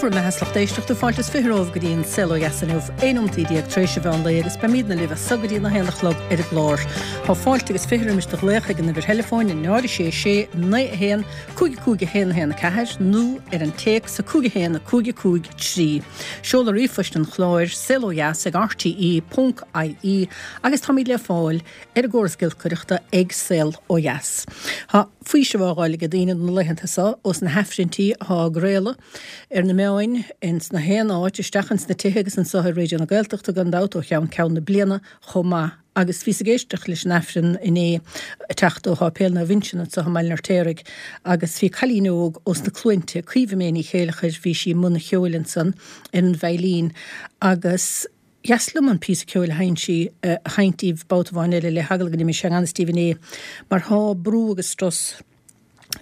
Bhur mbeatha 's lucht éisteachta, fáilte is 20 romhaibh go dtí an Saol Ó Dheas inniu, 11 nóimeataí tar éis an mheán lae agus beimídne libh as so go dtí an 1 a chlog ar an gclár. Tá fáilte agus 20 roimis do ghlaoch ag an uimhir theileafóin 0 6 6 9 1 5 5 1 1 4 nó ar an téacs 5 1 5 5 3. Seoladh ríomhphoist an chláir, saolodheas ag rte ponc ie agus táimid le fáil ar an gcóras giolcaireachta ag Saol Ó Dheas. Tá faoiseamh á dh'fháil ag daoine na laethanta so ós na hAifrinntí athá á gcraoladh ar na meáin ins na haon áit, isteach ins na tithe agus anso ar Raidió na Gaeltachta gan dabht ó cheann ceann na bliana chomh maith. Agus bhíos ag éisteacht leis an Aifreann inné ag teacht ó Sháipéal Naomh Uinseann anso i mBaile an Fheirtéaraigh agus bhí cailín óg ós na Cluainte, Caoimhe May Ní Chéileachair, bhí sí i mbun an cheoil ansan ar an veidhlín agus dheas liom an píosa ceoil a sheinn sí a sheinnt daoibh babhta amháin eile le heagla go n-imí sé i ngan fhios daoibh inné mar thá brú agus strus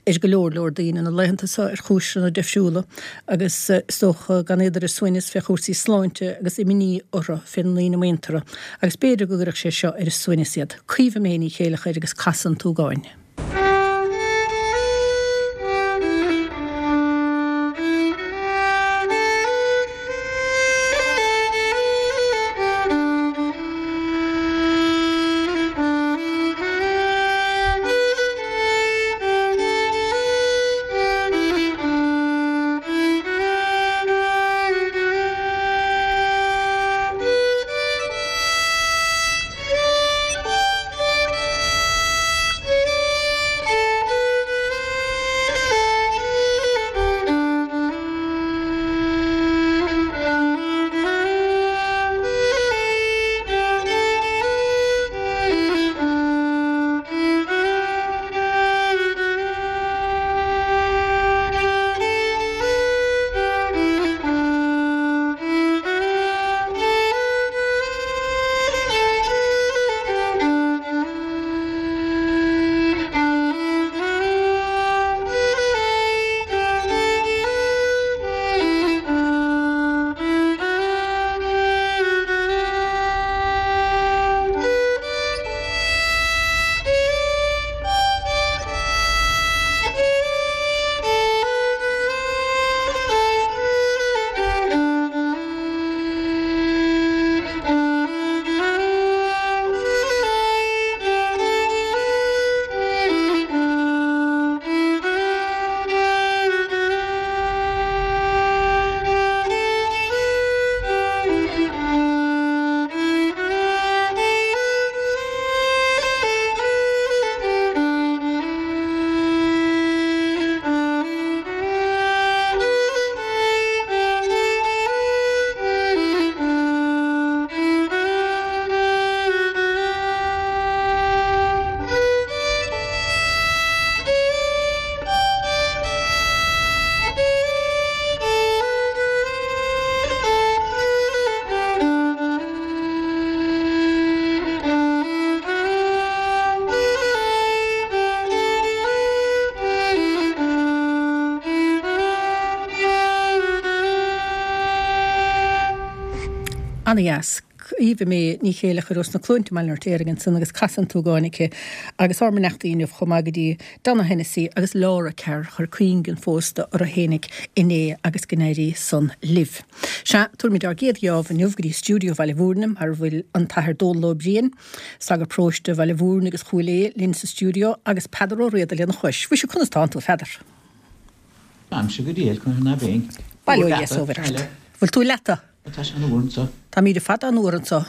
ar go leor leor daoine na laethanta so ar chúiseanna difriúla agus is dócha gan iad ar a suaimhneas fé chúrsaí sláinte agus imní orthu fé na ndaoine muinteartha agus b'fhéidir go gcuirfeadh sé seo ar a suaimhneas iad. Caoimhe May Ní Chéileachair agus Casadh an tSúgáin. Ana-dheas. Caoimhe May Ní Chéileachair ós na Cluainte i mBaile an Fheirtéaraigh ansan agus Casadh an tSúgáin aici agus ár mbeannachtaí inniu chomh maith go dtí Donna Hennessy agus Laura Carr a chuir cuingí an phósta orthu fhéinig inné agus go n-éirí san libh. Sea, tabharfaimid ár gcéad gheábh inniu go dtí stiúideo Bhaile Mhúirne mar a bhfuil an tAthair Dónal Ó Briain, Sagart Paróiste Bhaile Mhúirne agus Chúil Aodha, linn sa stiúideo agus Peadar Ó Riada lena chois. Mhuise, conas tánn tú, a Pheadair? Táimse go diail, conas ná beinn? Bail ó Dhia 's ó Mhuire ort. Bhfuil tú leata? Tá sé an-fhuar anso. Táimíd ar fad an-fhuar anso.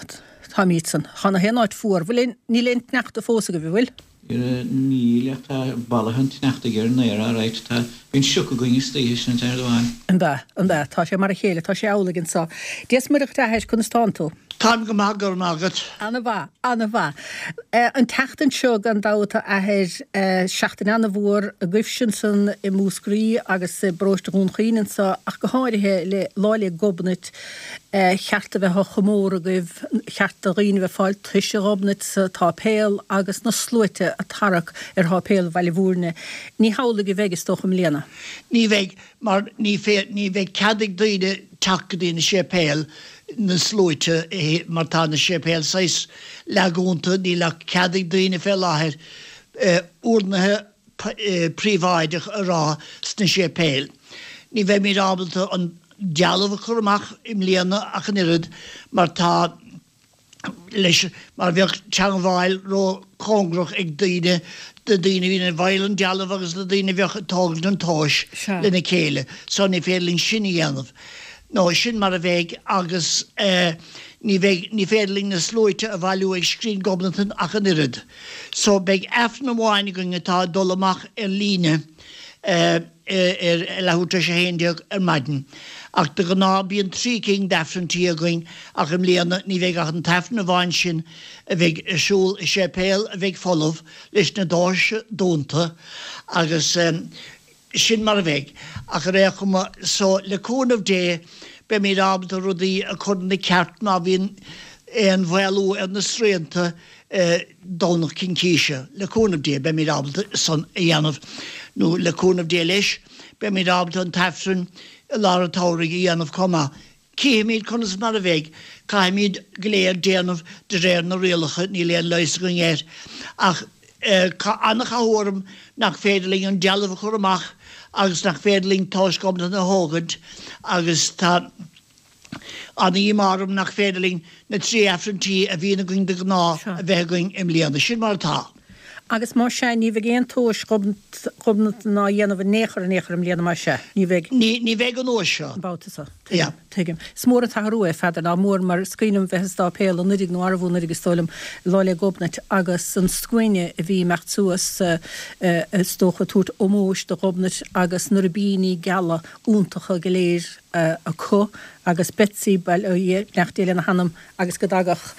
Táimídsan. Thá na haon áit fuar. Bhfuil aon, níl aon tsneachta fós agaibh, an bhfuil? Níl, ach tá bolaithe an tsneachtaidh ar an aer alright. Tá, bíonn sioc againn istoíche, sin an t-aon rud amháin. An ea, an ea, tá sé mar a chéile, tá sé amhlaidh anso. Dia 's Muire dhuit a Athair, conas tánn tú? Táim go maith, go raibh maith agat. Ana-mhaith, ana-mhaith. An tseachtain seo, gan dabht, a Athair, seachtain ana-mhór agaibhse ansan i Múscraí agus i bparóiste Dhún Chaoin anso, ach go háirithe le Lá 'le Gobnait, cheart a bheith á chomóradh agaibh, cheart do dhaoine a bheith ag fáil toise Ghobnait sa tsáipéal agus na sluaite ag tarrac ar sháipéal Bhaile Mhúirne. Ní hamhlaidh a bheidh, is dócha, i mbliana. Ní bheidh. mar ní ní bheidh cead ag daoine teacht go dtí na séipéil, na sluaite, mar tá na séipéil saghas leathdhúnta, níl ach cead ag daoine fé láthair urnaithe príobháideach a rá sna séipéil. Ní bheimid ábalta an. dealbh a chur amach i mbliana ach an oiread mar tá leis mar bheadh teangmháil ró-chóngarach ag daoine, na daoine a bhíonn ag fáil an dealbh agus na daoine a bheadh ag tógaint an tomhais lena chéile. So ní féidir linn sin a dhéanamh. Nó sin mar a bheidh agus ní bheidh, ní féidir linn na sluaite a bhailiú ag Scrín Ghobnatan ach an oiread. So beidh Aifreann amháin againn atá ag dul amach ar líne ar leathuair tar éis a 11 ar maidin. Ach de ghnáth bíonn 3 cinn d'Aifrinntí againn ach i mbliana ní bheidh ach an t-Aifreann amháin sin a bheidh ar siúl i séipéal a bheidh folamh leis na doirse dúnta agus sin mar a bheidh. Ach ar aon chuma, so le cúnamh Dé beimid ábalta rudaí a chur ina ceart má bhíonn aon mhaolú ar na srianta Domhnach Cincíse. Le cúnamh Dé beimid ábalta san a dhéanamh, nó le cúnamh Dé leis, beimid ábalta an tAifreann i lár an tsamhraidh a dhéanamh chomh maith. Cífimid conas mar a bheidh. Caithfimid go léir déanamh de réir na rialacha, níl aon leigheas againn air. Ach tá an-chathú orm nach féidir linn an dealbh a chur amach agus nach féidir linn tomhas Ghobnatan a thógaint agus tá an-dhíomá orm nach féidir linn na 3 Aifrinntí a bhíonn againn de ghnáth a bheith againn i mbliana. Sin mar atá. Agus más ea, ní bheidh aon tomhas Ghobnatan á dhéanamh in aon chor in aon chor i mbliana, más ea? Ní bheidh. Ní bheidh an uair seo. An babhta seo. Tuigim. Tuigim. Is mór an t-athrú é, a Pheadair, nach mór, mar is cuimhin liom bheith sa sáipéal anuiridh nó arbh anuiridh is dóigh liom, Lá 'le Gobnait agus an scuaine a bhí ag imeacht suas, is dócha, ag tabhairt ómóis do Ghobnait agus na ribíní geala iontacha go léir acu agus Betsy, bail ó Dhia, beannacht Dé lena hanam, agus go dtagadh,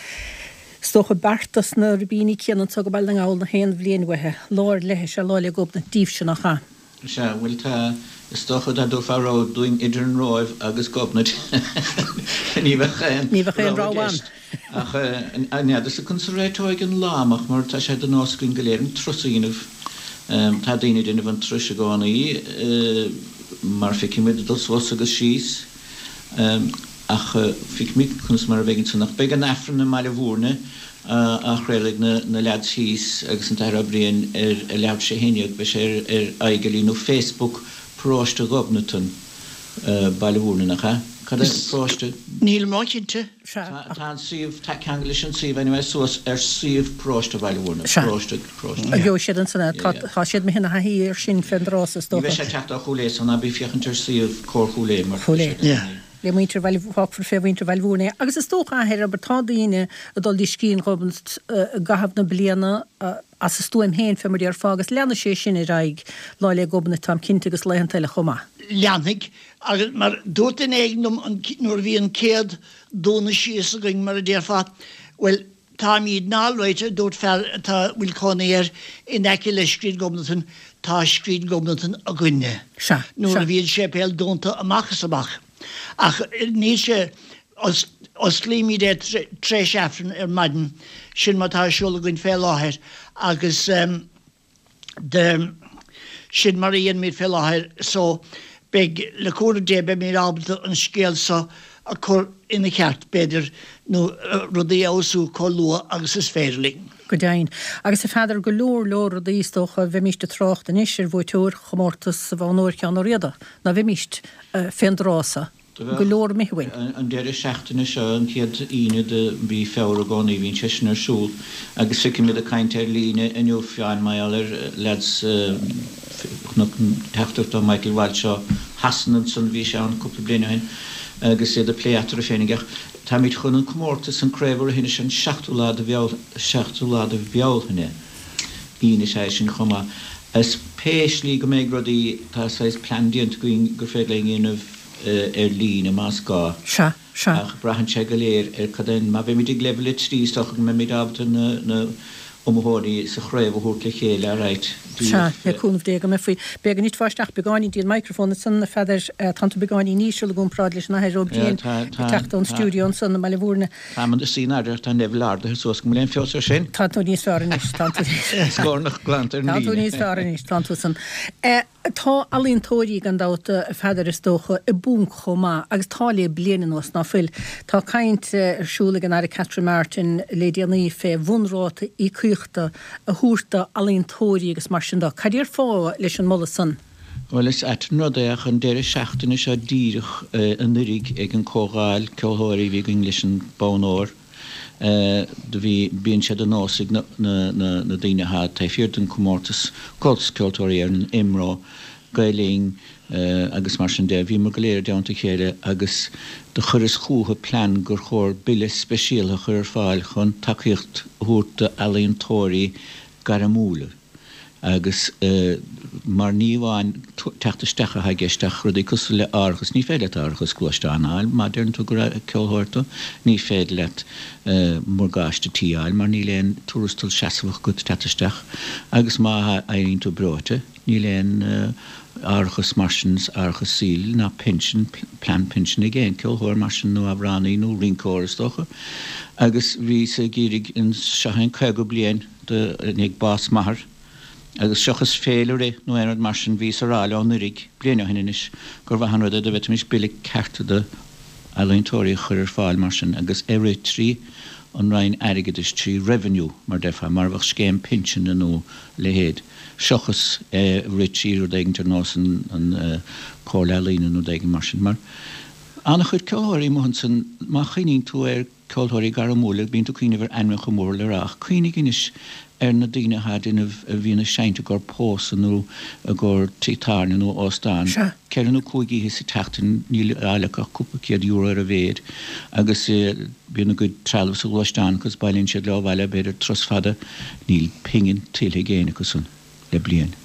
is dócha, beart dos na ribíní céanna anso go Baile na nGall na haon bhliain uaithi, lá ar leith is ea Lá 'le Gobnait díbhse, nach ea? Sea, bhuel tá, is dócha dá dtabharfá rogha dúinn idir an Róimh agus Gobnait ní bheadh aon Ní bheadh aon rogha ann. Ach n'fheadarsa conas a réiteoidh an lá amach mar tá sé de nós againn go léir an turas a dhéanamh. Tá daoine ag déanamh an turais i gcónaí mar feicimid ag dul suas agus síos ach feicimid conas mar a bheidh ansan. Ach beidh an Aifreann i mBaile Bhúirne á chraoladh ag na leaids thíos agus an tAthair Ó Briain ar a leathuair tar éis a 11. Beidh sé ar aghaidh nó Facebook Paróiste Ghobnatan, Baile Bhúirne, nach ea? Cad é paróiste? Nílim róchinnte. Sea. Tá an suíomh, tá ceangal leis an suíomh anyway suas ar suíomh paróiste Bhaile Bhúirne, Sea. paróiste, paróiste. Gheobhaidh siad ansan é. Tá, tá siad imithe ina thaithí air sin fén dtráth so is Ní dócha. bheidh sé ag teacht ó Chúil Aodha so ná bí ag féachaint ar suíomh Comhar Chúil Aodha mar Chúil Aodha. Yeah. Le muintir Bhaile, fágfar fé mhuintir Bhaile Bhúirne é. Agus is dócha, a Athair, abair, tá daoine ag dul dtí Scrín Ghobnait i gcaitheamh na bliana as a stuaim féin fé mar déarfá agus leanfaidh sé sin ar aghaidh Lá 'le Gobnait táim cinnte agus laethanta eile chomh maith. Leanfaidh. Agus mar dúirt duine éigin liom nuair a bhí an chéad dúnadh síos againn, mar a déarfá, bhuel, táimídne alright, a dúirt fear atá, a bhfuil cónaí air in aice le Scrín Ghobnatan, tá Scrín Ghobnatan againne. Sea, Nuair sea. a bhí an séipéal dúnta amach is amach. Ach níl sé, osclaímid é tar éis Aifreann ar maidin, sin mar atá ar siúl againn fé láthair agus, de sin mar a dhéanaimid fé láthair so beidh, le cúnamh Dé, beimid ábalta an scéal so a chur ina cheart, b'fhéidir, nó rudaí a fheabhsú chomh luath agus is féidir linn. Go deimhin. Agus a Pheadair, go leor leor rudaí is dócha, bheimíst ag trácht anois ar bhuaiteoir chomórtas Bhonn Óir Sheáin Ó Riada, ná bheimíst, fén dtráth so. Go leor imithe uainn. An deireadh seachtaine seo, an chéad Aoine de mhí Feabhra i gcónaí, bhíonn sé sin ar siúl agus feicimid ag caint ar líne inniu, Fionn, mar gheall ar leaids chonac teachtaireacht ó Michael Walsh ó Shasana ansan, bhí sé ann cúpla bliain ó shin agus iad ag plé eatarthu féinig ach táimid chun an comórtas, an Craobh a rith anois an seachtú lá de Bheal, seachtú lá de Bhealtaine, Aoine is ea é sin chomh maith. Is pé slí go mbeidh rudaí, tá saghas plean déanta againn gur féidir linn a dhéanamh ar líne más gá. Sea, sea. Ach braitheann sé go léir ar cad é, má bheimid ag leibhéal 3 is dócha go mbeimid ábalta na na iomaitheoirí sa chraobh a thabhairt le chéile, alright. Sea, le cúnamh Dé go mbeifí. B'fhéidir go nditfeá isteach beagáinín dtí an microphone ansan, a Pheadair, tánn tú beagáinín íseal i gcomparáid leis an Athair Ó Briain ag teacht ón stiúideo ansan i mBaile Bhúirne. Táim i mo shuí in airde ach tá an leibhéal ardaithe suas go bhfuil aon feabhas ar sin? Tá tú níos fearr anois, tánn tú. Scornach glanta ar an líne. Tá tú níos fearr anois, tánn tú san. Tá ealaíontóirí, gan dabht, a Pheadair, is dócha, i bponc chomh maith, agus tá le bliain anuas, ná fuil? Tá caint ar siúl ag an Aire Catherine Martin le déanaí fé bhunráta íocaíochta a thabhairt do ealaíontóirí agus mar sin de. Cad déarfá leis an moladh san? Bhuel, is ait an rud é ach an deireadh seachtaine seo díreach anuiridh ag an comhdháil ceolthóirí a bhí againn leis an bonn óir, do bhí, bíonn sé de nós ag na, na, na daoine athá taobh thiar den comórtas, Comhaltas Ceoltóirí Éireann, IMRO, Gael Linn agus mar sin de, bhíomar go léir i dteannta a chéile agus do chuireas chúthu plean gur chóir bille speisialtha a chur ar fáil chun tacaíocht a thabhairt d'ealaíontóirí gairmiúla. Agus mar ní amháin teacht isteach atá i gceist ach rudaí cosúil le árachas, ní féidir leat árachas gluaisteáin a fháil má deireann tú gur ceolthóir tú, ní féidir leat morgáiste tí a fháil mar níl aon tuarastal seasmhach agat teacht isteach agus má éiríonn tú breoite níl aon árachas mar sin, árachas saoil ná pinsean, plean pinsin ag aon ceolthóir mar sin nó amhránaí nó rinceoir is dócha. Agus bhíos ag iarraidh, seo é an 50 bliain, i ndiaidh bás m'athar, agus seachas féile a rith nó aon rud mar sin, bhíos a rá leo anuiridh, bliain ó shin anois, gur mhaith an rud é dá bhféadfaimis bille ceart do ealaíontóirí a chur ar fáil mar sin agus é rith trí an Roinn Airgeadais, trí Revenue, mar déarfá, mar a bheadh scéim pinsin nó a leithéid, seachas é a rith trí rud éigin ar nós an Comhairle Ealaíne nó rud éigin mar sin. Mar an-chuid ceolthóirí amuigh ansin, má chuimhníonn tú ar. ceoltóirí gairmiúla, bíonn tú ag cuimhneamh ar ainmneacha mór le rá, ach cuimhnigh anois ar na daoine atá ag déanamh, a bhíonn ag seinnt i gcomhair pósadh nó i gcomhair tigh tábhairne nó óstán, ceithre nó cúig oíche sa tseachtain, níl á fháil acu ach cúpla €100 ar a mhéid agus bíonn a gcuid trealamh sa ghluaisteán acu is bailíonn siad leo abhaile b'fhéidir turas fada, níl pingin tuillte ag éinne acu san. le bliain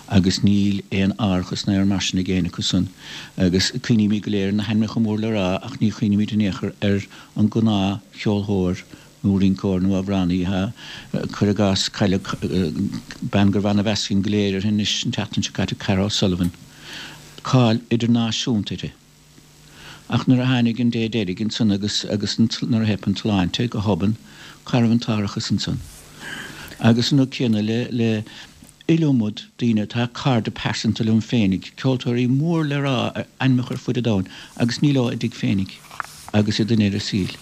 agus níl aon árachas ná aon rud mar sin ag éinne acu san agus cuimhnímid go léir ar na hainmneacha mór le rá ach ní chuimhnímid in aon chor ar an gnáth cheolthóir nó rinceoir nó amhránaí atá, cuir i gcás, cailleadh bean gurbh ana-mheas againn go léir uirthi anois an tseachtain seo caite, Cara O'Sullivan. Cáil idirnáisiúnta uirthi. Ach nuair a tháinig an dé deiridh ansan agus agus nuair a theip an tsláinte go hobann, cá raibh an t-árachas ansan? Agus an rud céanna le le iliomad daoine atá cairde pearsanta liom féinig, ceoltóirí mór le rá, ainmneacha ar fuid an domhain, agus níl leo a dtigh féinig agus iad i ndeireadh a saoil.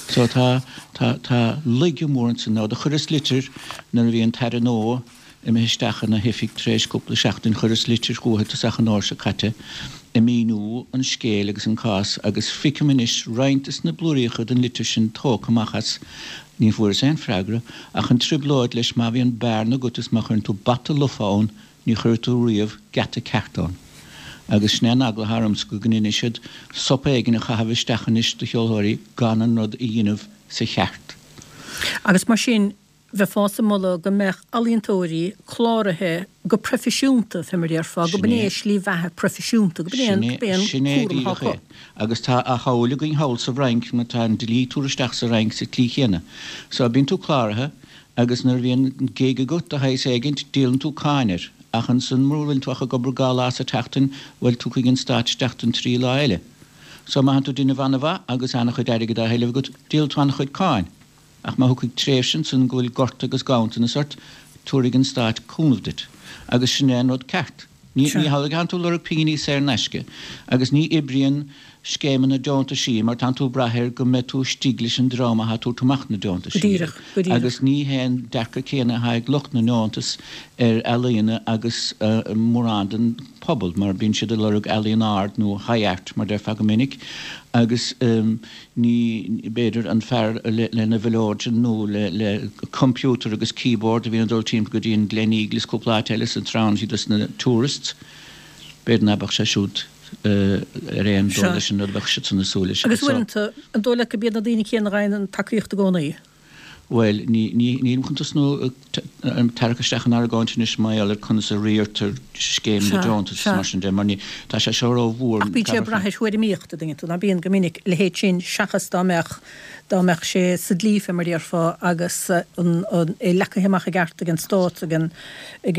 So tá tá tá laige mór ansan. Now do chuireas litir nuair a bhí an tAire nua, Imithe isteach ina hoifig tar éis cúpla seachtain chuireas litir chúithi tosach an fhómhair seo caite ag míniú an scéil agus an cás agus feicim anois roinnt des na blúiríocha den litir sin tógtha amach as. Ní fuaireas aon freagra ach an trioblóid leis má bhíonn bearna agat is má chuireann tú bata lofa ann ní chuirfidh tú riamh geata ceart ann. Agus sin é an eagla atá ormsa go ndéanfaidh siad sop éigin a chaitheamh isteach anois do cheolthóirí gan an rud a dhéanamh sa cheart. Agus mar sin Bheifeása ag moladh go mbeadh ealaíontóirí cláraithe go proifisiúnta, fé mar a déarfá, go b'in é a slí bheatha proifisiúnta, go b'in é an Sin é cúram atá díreach acu. é. Agus tá a shamhail againn thall sa bhFrainc mar tá an dlí ag tabhairt isteach sa Fhrainc sa tslí chéanna. So bíonn tú cláraithe agus nuair a bhíonn gig agat de shaghas éigint, díolann tú cáin air. Ach ansan mura bhfuil tú ach ag obair dhá lá sa tseachtain, bhuel tiocfaidh an stát isteach don trí lá eile. So má thánn tú ag déanamh an-mhaith agus an-chuid airgid á thuilleamh agat, díolfaidh tú an-chuid cáin. Ach má thiocfaidh tréimhse ansan go bhfuil gorta agus ganntanas ort, tabharfaidh an Stát cúnamh duit. Agus sin é an rud ceart. Ní ní hamhlaidh a thánn tú ag lorg pinginí saor in aisce. Agus ní oibríonn scéimeanna deontaisí mar tánn tú ag brath air go mbeidh tú istigh leis an dream athá ag tabhairt amach na Go deontaisí. díreach, go díreach. Agus ní hé an dearcadh céanna athá ag lucht na ndeontas ar ealaíona agus mórán den phobal mar bíonn siad ag lorg ealaíon ard nó high art mar déarfá go minic agus Ní, b'fhéidir, an fear lena mhileoidean nó le computer agus keyboard a bhíonn ag dul timpeall go dtí an Gleneagle is cúpla áit eile is ag treabhann siad dos na tourists, b'fhéidir ná beadh sé siúd ar aon dul leis an rud a bheadh siadsan ag súil leis. Agus uaireanta, an dóigh leat gurb iad na daoine céanna a fhaigheann an tacaíocht i gcónaí? Bhuel, ní, ní, nílim chun tosnú ag tarrac isteach in argóint anois mar gheall ar conas a riartar scéim na deontas is mar sin de, mar ní, tá sé seo ró-mhór. Ach bíonn sé ag brath ar thuairimíocht, a dtuigeann tú, ná bíonn go minic a leithéid sin seachas dá mbeadh, dá mbeadh sé sa dlí fé mar a déarfá agus an, an, é leagtha amach i gceart ag an stát, ag an, ag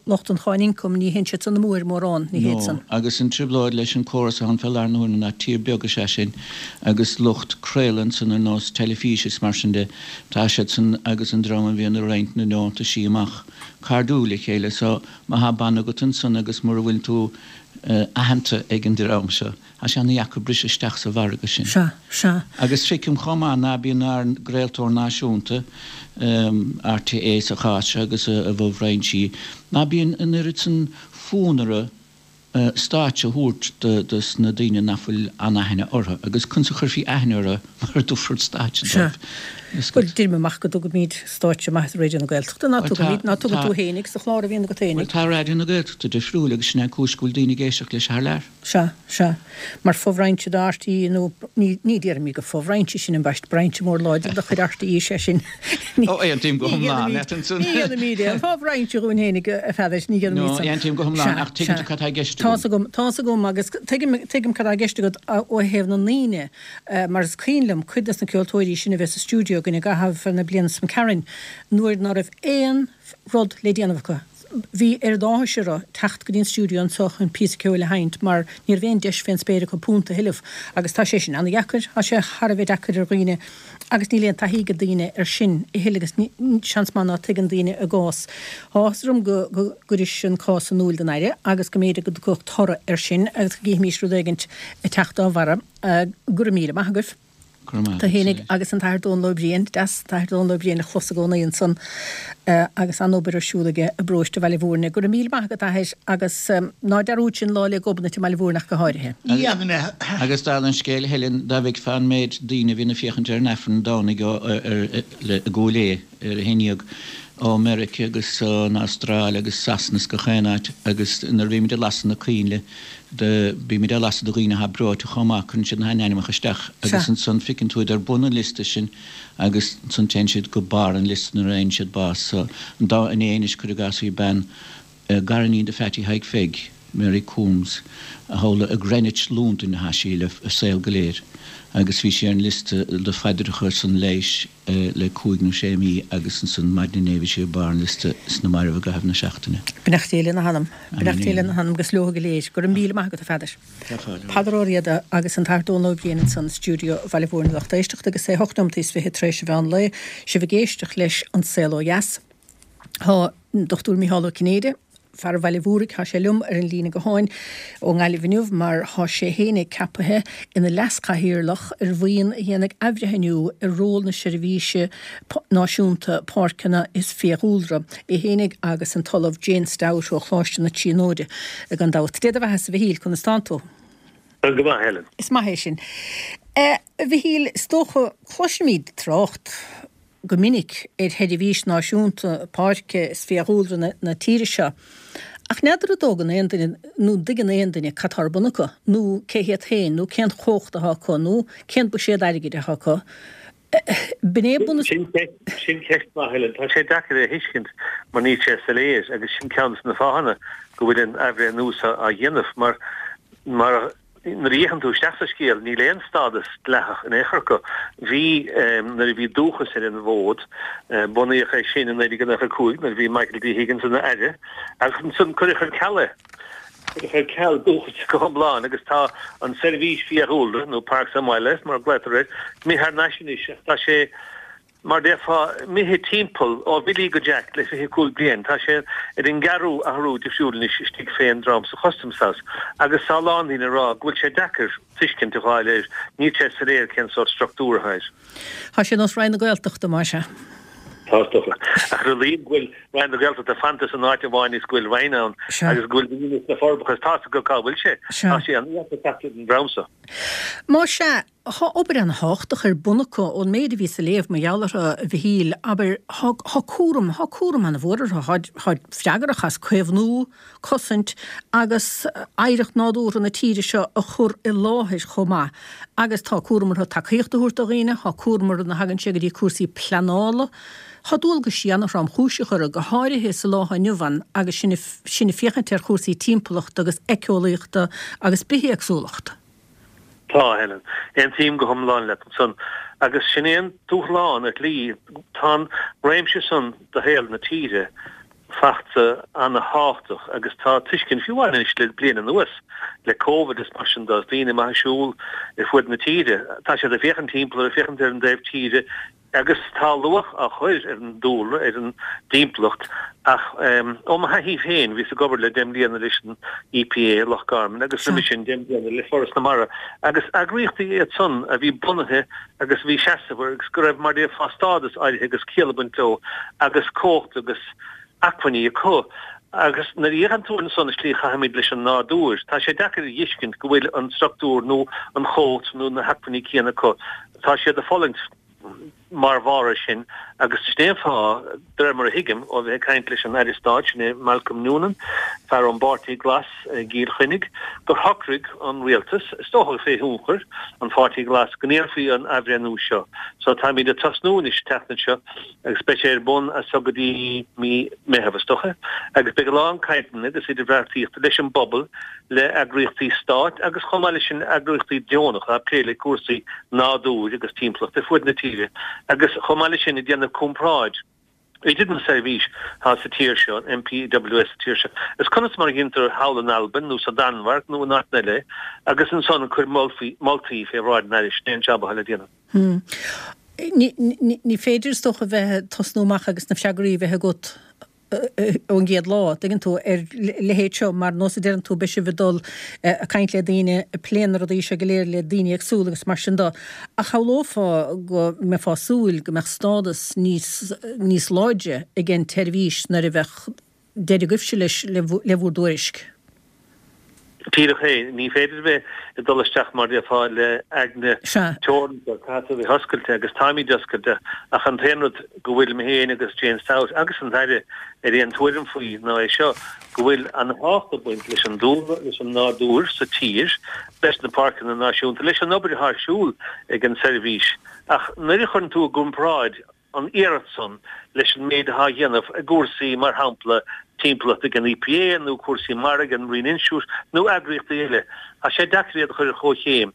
lucht an cháin ioncaim, ní théann siad san amú air mórán, ní théid san. No, agus an trioblóid leis an córas atá ann fé láthair na huaire ná tír beag is ea sinn Agus lucht craoladh ansan ar nós teilifíse is mar sin de, tá siadsan agus an dream a bhíonn ag roinnt na ndeontaisí amach cairdiúil le chéile so má thá banna agat ansan agus mura bhfuil tú. aitheanta ag an dream seo. Tá sé ana-dheacair briseadh isteach sa mhargadh sin. Sea, sea. Agus feicim chomh maith ná bíonn ár gcraoltóir náisiúnta, RTÉ sa chás seo agus a bhfo-bhrainsí, ná bíonn an oiread san fonn orthu stáitse a thabhairt dos na daoine nach bhfuil an-aithne orthu. Agus conas a chuirfí aithne orthu mura dtabharfar stáitse Sea. dóibh? Bhuel, deirim amach go dtugaimid stáitse maith do Raidió na Gaeltachta, ná tugaimid, ná tugann tú fhéinig sa chlár a bhíonn agat fhéinig. Bhuel, tá Raidió na Gaeltachta difriúil agus sin é an cúis go bhfuil daoine ag éisteacht leis thar lear. Sea, sea. Mar fo-bhrainse de RTÉ, nó ní, ní déarfaimid gur fo-bhrainse sin ambaist, brainse mór láidir de chuid RTÉ is ea sin. Ní, Ó, aontaím go hiomlán leat ansan. Ní dhéanaimid aon fo-bhrainse dhúinn fhéinig, a Pheadair, ní dhéanaimid san. No, aontaím go hiomlán, ach tuigeann tú cad tá i gceist agam. Tá's agam, tá's agam, agus tuigim, tuigim cad tá i gceist agat ó thaobh na ndaoine, mar is cuimhin liom cuid des na ceoltóirí sin a bheith sa stiúideo againn i gcaitheamh na bliana seo caite, nuair ná raibh aon rud le déanamh acu. Bhí oiread áthais orthu teacht go dtí an stiúideo anseo chun píosa ceoil a sheinnt mar ní raibh aon deis fén spéir acu punt a thuilleamh agus tá sé sin ana-dheacair, tá sé thar a bheith deacair ar dhaoine agus níl aon taithí ag daoine ar sin a thuilleadh agus seans maith ná tuigeann daoine a gcás. Tá áthas orm go gcuiris an cás in iúil don Aire agus go mb'fhéidir go dtiocfadh toradh air sin agus go gcífimís rud éigint ag teacht dá bharra. Go raibh míle maith agaibh. Tú fhéinig agus an tAthair Dónal Ó Briain, deas an tAthair Dónal Ó Briain a chlos i gcónaí ansan agus an-obair ar siúl aige i bparóiste Bhaile Mhúirne. Go raibh míle maith agat, a Athair, agus ná dearúd sinn Lá 'le Gobnait i mBaile Mhúirne ach go háirithe. Ní dhéanfaidh mé. Agus dála an scéil, a Helen, dá bhfeicfeá an méid daoine a bhíonn ag féachaint ar an Aifreann Domhnaigh i gCúil Aodha ar a haon dhéag, ó Meirice agus ón Astráil agus Sasana is gach aon áit agus nuair a bhímid ag lasadh na coinnle, do, bímid á lasadh do dhaoine atá breoite chomh maith, cuireann siad a n-ainmneacha isteach agus ansan feiceann tú iad ar bun an liosta sin agus ansan téann siad go barr an liosta nuair a fhaigheann siad bás. So, an dá, inné anois, cuir i gcás, bhí bean, gariníon de Pheaití Thaidhg Pheig, Mary Coombs, a shamhlaigh i Greenwich, Londain atá sí le a saol go léir agus bhí sí ar an liosta do phaidreacha ar son leighis le cúig nó sé mí agus ansan maidin inné bhí sí ar barr an liosta sna mairbh i gcaitheamh na seachtaine. Beannacht Dé lena hanam. Beannacht Dé lena hanam agus leo go léir. Go raibh míle maith agat a Pheadair. Peadar Ó Riada agus an tAthair Dónal Ó Briain ansan i stiúideo Bhaile Mhúirne lucht éisteachta agus é hocht nóimeataí is fiche tar éis an mheán lae. Sibh ag éisteacht leis An Saol Ó Dheas. Tá an Dr Mícheál Ó Cinnéide, fear Bhaile Mhúraigh, tá sé liom ar an líne gutháin ó nGaillimh inniu mar tá sé fhéinig ceapaithe ina leas-chathaoirleach ar bhuíon a dhéanfaidh athbhreithniú ar ról na Seirbhíse Náisiúnta Páirceanna is Fiadhúlra. É fhéinig agus an tOllamh Jane Stout ó Choláiste na Tríonóide gan dabht. Dé do bheathasa, a Mhichíl, conas tánn tú? Go maith, Helen. Is maith é sin. A Mhichíl, is dócha, cloisimid trácht go minic ar Sheirbhís Náisiúnta Páirce is Fiadhúlra na tíre seo, ach n'fheadar an dtógann aon duine nó an dtuigeann aon duine cad tá ar bun acu, nó cé hiad féin, nó cén chumhacht atá acu, nó cén buiséad airgid atá acu. B'in é bunús. Sin ceist mhaith, Helen. Tá sé deacair é a thuiscint mar níl sé soiléir agus sin ceann de na fáthanna go bhfuil an athbhreithniú seo á dhéanamh mar mar Nuair a fhéachann tú isteach sa scéal, níl aon stádas dleathach in aon chor acu. Bhí nuair a bhí Dúchas ar an bhfód. Bunaíodh é sin i 1995 nuair a bhí Michael D. Higgins ina Aire agus ansan cuireadh ar ceal é. Cuireadh ar ceal Dúchas go hiomlán agus tá an tSeirbhís Fiadhúlra, nó Parks and Wildlife mar a ghlaotar air, imithe thar n-ais anois ach tá sé Mar déarfá, imithe timpeall ó Bhillí go Jack le 25 bliain. Tá sé ar an gceathrú athrú difriúil anois istigh fén dream sa Customs House agus tá a lán daoine ag rá go bhfuil sé deacair tuiscint a fháil air, níl sé soiléir cén sórt struchtúr atá air. Tá sé ar nós Roinn na Gaeltachta, más ea. Tá, is dócha. Ach ar a laghad go bhfuil Roinn na Gaeltachta fanta san áit amháin is go bhfuil Roinn ann agus go bhfuil daoine sna Forbacha is tá 's acu cá bhfuil sé. Tá sé an-deacair teacht ar an dream so. Más ea, Thá obair ana-thábhachtach ar bun acu, ón méid a bhíos a léamh mar gheall orthu, a Mhichíl, abair, thá, thá cúram, thá cúram ana-mhór orthu, tháid, tháid freagrach as caomhnú, cosaint agus oidhreacht nádúrtha na tíre seo a chur i láthair chomh maith agus tá cúram orthu tacaíocht a thabhairt do dhaoine, thá cúram orthu nuair a thagann sé go dtí cúrsaí pleanála. Thá dualgaisí ana-thromchúiseach orthu, go háirithe sa lá atá inniu ann agus sinn, sinn ag féachaint ar chúrsaí timpeallachta agus éiceolaíochta agus bithéagsúlacht. Tá, a Helen. Aontaím go hiomlán leat ansan. Agus sin é an dúshlán ar shlí. Tá an réimse san de shaol na tíre fachta ana-thábhachtach agus tá tuiscint, fiú amháin anois le bliain anuas, le Covid is mar sin de, is daoine amuigh ag siúl ar fuaid na tíre, tá siad ag féachaint timpeall, ag féachaint ar an dtaobh tíre, Agus tá luach á chur ar an dúlra, ar an dtimpeallacht. Ach ó mo thaithí féin, bhíos ag obair le deich mbliana leis an EPA i Loch Garman agus roimhe sin deich mbliana le Foras na Mara agus eagraíochtaí iad san a bhí bunaithe agus a bhí seasamh agus go raibh mar déarfá stádas áirithe agus ciall ag baint leo agus cumhacht agus acmhainní acu. Agus nuair a fhéachann tú ansan an tslí a chaithimid leis an nádúr, tá sé deacair a fheiscint go bhfuil an structúr nó an chumhacht nó na hacmhainní céanna acu. Tá siad ag fulaingt. mar bharr air sin, agus sin é an fáth, de réir mar a thuigim ó bheith ag caint leis an Aire Stáit, sin é Malcolm Noonan, fear ón bPáirtí Glas i gCill Chainnigh, gur shocraigh an Rialtas, is dócha fé thionchar an Pháirtí Ghlais, go ndéanfaí an athbhreithniú seo. So táimid ag tosnú anois an tseachtain seo agus beidh sé ar bun as so go dtí mí Meitheamh, is dócha, agus beidh a lán cainteanna agus idirbheartaíochta leis an bpobal, le eagraíochtaí stáit agus chomh maith leis sin eagraíochtaí deonacha ag plé le cúrsaí nádúir agus timpeallachta ar fuaid na tíre agus chomh maith leis sin ag déanamh comparáid idir an seirbhís atá sa tír seo, an NPWS sa tír seo, is conas mar a dhéantar thall in Albain nó sa Danmhairg nó in áiteanna eile agus ansan cuir moltaí fé bhráid an Aire, sin é an jab atá le déanamh. Ní féidir is dócha bheith ag tosnú amach agus na freagraí a bheith agat ón gcéad lá, tuigeann tú, ar a leithéid seo, mar nós a deireann tú, beidh sibh ag dul ag caint le daoine, ag plé na rudaí seo go léir le daoine éagsúla agus mar sin de. Ach shamhlófá go mbeifeá ag súil go mbeadh stádas níos, níos láidre ag an tseirbhís nuair a bheadh deireadh agaibhse leis, le bhur dtuairisc. Díreach é. Ní féidir a bheith ag dul isteach mar déarfá le aigne teoranta, caithfidh tú a bheith oscailte agus táimid oscailte ach an t-aon rud go bhfuil mé féin agus Jane Stout agus an tAire ar aon tuairim faoi ná é seo, go bhfuil an-tábhacht ag baint leis an dúlra, leis an nádúr sa tír, leis na páirceanna náisiúnta, leis an obair atá ar siúl ag an seirbhís ach nuair a chuireann tú i gcomparáid an iarracht san leis an méid atá á dhéanamh i gcúrsaí, mar shampla, timpeallachta ag an EPA nó cúrsaí mara ag an Marine Institute nó eagraíochtaí eile. Tá sé deacair iad a chur ar chomhchéim.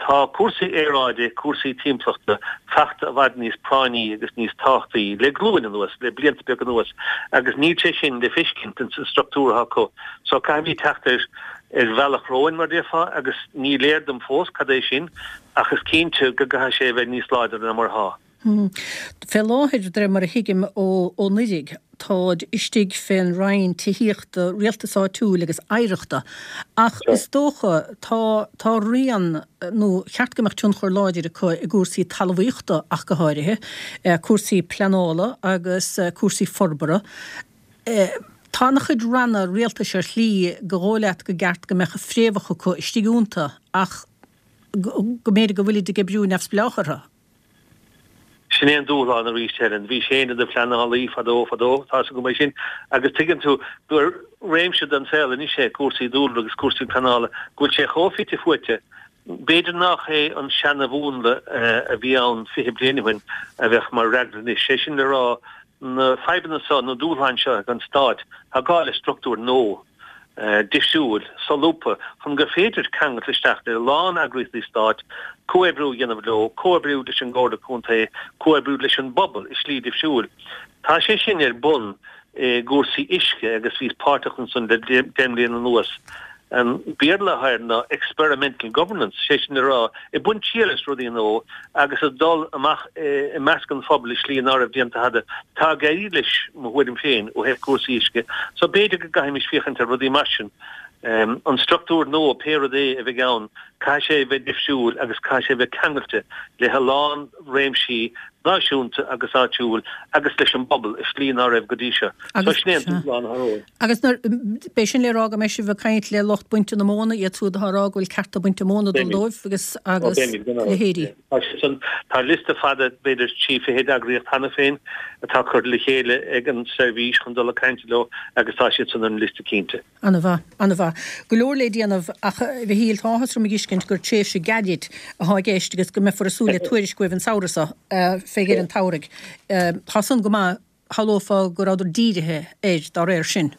Tá cúrsaí aeráide, cúrsaí timpeallachta fachta i bhfad níos práinní agus níos tábhachtaí le glúin anuas, le blianta beaga anuas, agus níl sé sin le feiscint ins an structúr atá acu. So caithfimid teacht ar ar bhealach romhainn, mar déarfá, agus ní léir dom fós cad é sin, ach is cinnte go gcaithfidh sé a bheith níos láidre ná mar atá. Fé láthair, de réir mar a thuigim ó Oighrig, táid istigh fén Roinn Tithíochta, Rialtais Áitiúil agus Oidhreachta. Ach is dócha, tá, tá rian, nó cheart go mbeadh tionchar láidir acu i gcúrsaí talmhaíochta ach go háirithe, cúrsaí pleanála agus cúrsaí forbartha. Tá ana-chuid ranna rialtais ar shlí gur dhóigh leat go gceart go mbeadh a fréamhacha acu istigh iontu ach go mb'fhéidir go bhfuilid ag oibriú neamhspleách orthu. Sin é an dúshlán arís, Helen. Bhís féin i do phleanálaí fadó, fadó, tá's agam é sin, agus tuigeann tú gur réimse den saol anois é cúrsaí dúlra agus cúrsaí pleanála, go bhfuil sé chomh fite fuaite. B'fhéidir nach é an seana-mhúnla a bhí ann 20 bliain ó shin a bheadh mar fhreagra anois, sé sin le rá, na fadhbanna seo, na dúshláin seo ag an Stát, tá gá le struchtúr nua, difriúil, solúbtha, chun gur féidir ceangailt isteach le a lán eagraíochtaí stáit, comhoibriú a dhéanamh leo, comhoibriú leis an gComhairle Contae, comhoibriú leis an bpobal i slí difriúil. Tá sé sin ar bun i gcúrsaí uisce agus bhíos páirteach ansan le deich mbliana anuas. An Béarla atá air ná experimental governance, sé sin le rá, ag baint triail as rudaí nua agus ag dul amach i measc an phobail i slí ná raibh déanta cheana. Tá ag éirí leis, mo thuairim féin, ó thaobh cúrsaí uisce, so b'fhéidir go gcaithfimis féachaint ar rudaí mar sin. An struchtúr nua, pé rud é a bheidh ann, caithfidh sé a bheith difriúil agus caithfidh sé a bheith ceangailte le a lán réimsí náisiúnta agus áitiúil agus leis an bpobal i slí ná raibh go dtí seo. So sin é an dúshlán atá romhainn. Agus nuair, b'é sin le rá go mbeidh sibh ag caint le lucht bainte na móna, iad siúd atá ag rá go bhfuil cearta bainte móna ag dul dóibh agus, agus leithéidí. Tá sé san, tá liosta fada, b'fhéidir 30 eagraíocht cheana féin atá curtha le chéile ag an seirbhís chun dul ag caint leo agus tá siad san ar an liosta cinnte. Ana-mhaith, ana-mhaith. Go leor le déanamh ach, a Mhichíl, tá áthas orm a dh'fheiscint gur tréimhse gairid atá i gceist agus go mbeifear ag súil le tuairisc uaibh an samhradh seo, fé dheireadh an tsamhraidh. Tá san go maith. Shamhlófá go rabhadar dírithe air dá réir sin.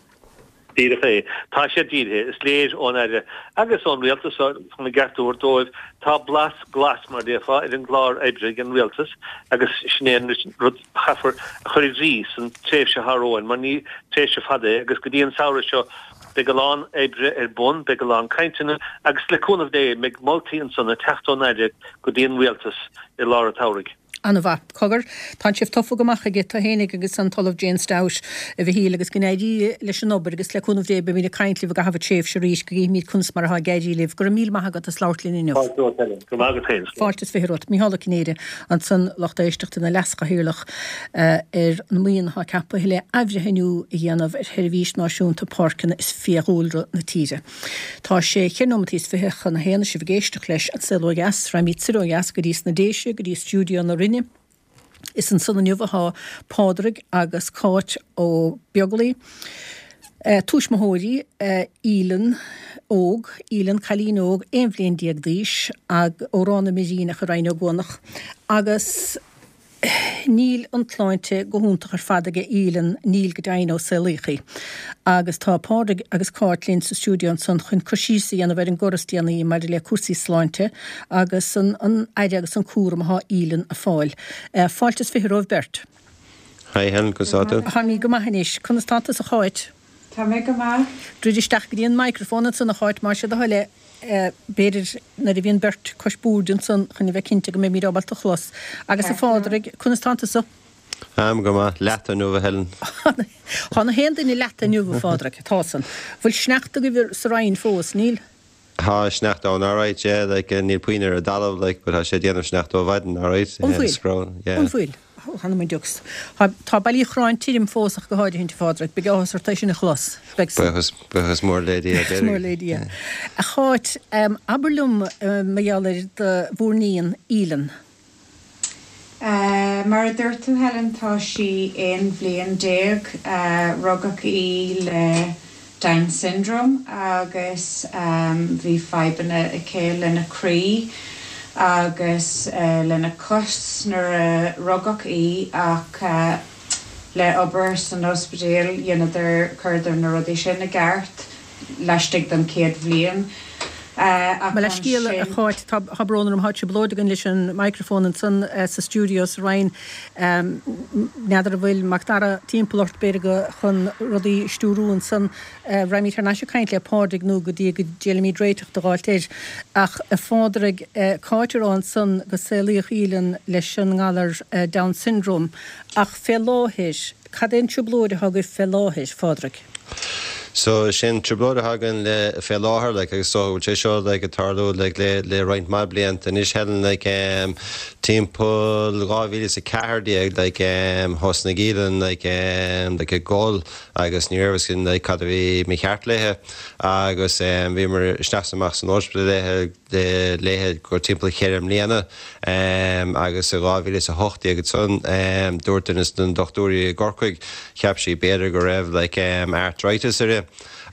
Díreach é. Tá siad dírithe. Is léir ón Aire agus ón Rialtas, chun a gceart a thabhairt dóibh, tá blas glas, mar a déarfá, ar an gclár oibre ag an Rialtas agus sin é an rud a chaithfear a chur i gcrích san tréimhse atá romhainn mar ní tréimhse fada é agus go dtí an samhradh seo beidh a lán oibre ar bun, beidh a lán cainteanna agus le cúnamh Dé beidh moltaí ansan ag teacht ón Aire go dtí an Rialtas i lár an tsamhraidh. An-mhaith. Cogar, tá sibh tofa go maith chuige, tú fhéinig agus an tOllamh Jane Stout, a Mhichíl, agus go n-éirí leis an obair agus le cúnamh Dé beimid ag caint libh i gcaitheamh tréimhse arís go gcífimid conas mar atá ag éirí libh. Go raibh míle maith agat as labhairt linn inniu. Fáilte romhat, Helen. Go raibh maith agat féin. Fáilte is 20 romhat. Micheál Ó Cinnéide ansan, lucht éisteachta, ina leaschathaoirleach ar an mbuíon atá ceaptha le athbhreithniú a dhéanamh ar Sheirbhís Náisiúnta Páirceanna is Fiadhúlra na tíre. Tá sé cheithre nóimeataí is 20 chun a haon is sibh ag éisteacht leis An Saol Ó Dheas. Raghaimid soir ó dheas go dtí sna Déise, go dtí stiúideo na Rinne. Is ansan inniu atá Pádraig agus Cáit Ó Beaglaoi, tuismitheoirí Aoileann óg, Aoileann, cailín óg, 11 bhliain d'aois, ó Ráth na mBiríneach i Rinn Ó gCuanach, agus. Níl an tsláinte go hiontach ar fad aige Aoileann, níl go deimhin ó saolaíodh í. Agus tá Pádraig agus Cáit linn sa stiúideo ansan chun cur síos a dhéanamh ar an gcor is déanaí maidir le cúrsaí sláinte agus an an aire agus an cúram athá Aoileann a fáil. Fáilte is 20 romhaibh beirt. Hi Helen, conas tá tú? Tá mé go maith anois. Conas tá tusa a Cháit? Tá mé go maith. Druid isteach go dtí an microphone ansan a Cháit más é do thoil é. B'fhéidir nuair a bhíonn beirt cois boird ansan chun a bheith cinnte go mbeimid ábalta chlos. Agus a Phádraig, conas tánn tusa? Táim go maith. Leata inniu, a Helen. Tá na haon duine leata inniu, a Phádraig. Tá san. Bhfuil sneachta agaibh sa Rinn fós? Níl? Tá sneachta ann alright, yeah, like níl puinn ar an dtalamh like but tá sé ag déanamh sneachta ó mhaidin alright. An bhfuil? Yeah. An bhfuil? Th'anam 'on diucs. Tá Baile Uí Chorráin tirim fós ach go háirithint, a Phádraig. Beidh áthas ort é sin a chlos. Beidh san. Buíochas, buíochas mór le Dia. Buíochas mór le Dia. A Cháit, abair liom mar gheall ar do bhur n-iníon, Aoileann. Mar a dúirt tú, Helen, tá sí 11 bhliain. Rugadh í le Down Syndrome agus bhí fadhbanna aici lena croí agus lena cos nuair a rugadh í ach le obair san ospidéal dheineadar, chuireadar na rudaí sin i gceart laistigh den chéad bhliain ach Mo leithscéal, a ansin. Cháit, tá brón orm, tá trioblóid againn leis an microphone ansan sa stiúideo sa Rinn. N'fheadar an bhfuil Mac Dara timpeall ort, b'fhéidir go chun rudaí a stiúrú ansan. Raghaimid thar n-ais ag caint le Pádraig nó go dtí go dtriailfimid réiteach do dh'fháilt air. Ach, a Phádraig, Cáit a rá ansan go saolaíodh Aoileann leis an ngalar Down Syndrome ach fé láthair, Cad é an trioblóid atá agaibh fé láthair, Phádraig? So, sin trioblóid atá againn le, fé láthair, like, agus so, bhfuil sé seo, like, ag tarlú, like, le, le roinnt mhaith blianta anois, Helen, like, em, timpeall 2014, like, em, thosnaigh Aoileann, like, em, like, ag gol agus ní raibh fhios againn, like, cad a bhí mícheart léithe agus, em, bhíomar isteach is amach san ospidéal léithe, léithe go timpeall cheithre mbliana agus i 2018 ansan dúirt duine de na dochtúirí i gCorcaigh cheap sí b'fhéidir go raibh like arthritis uirthi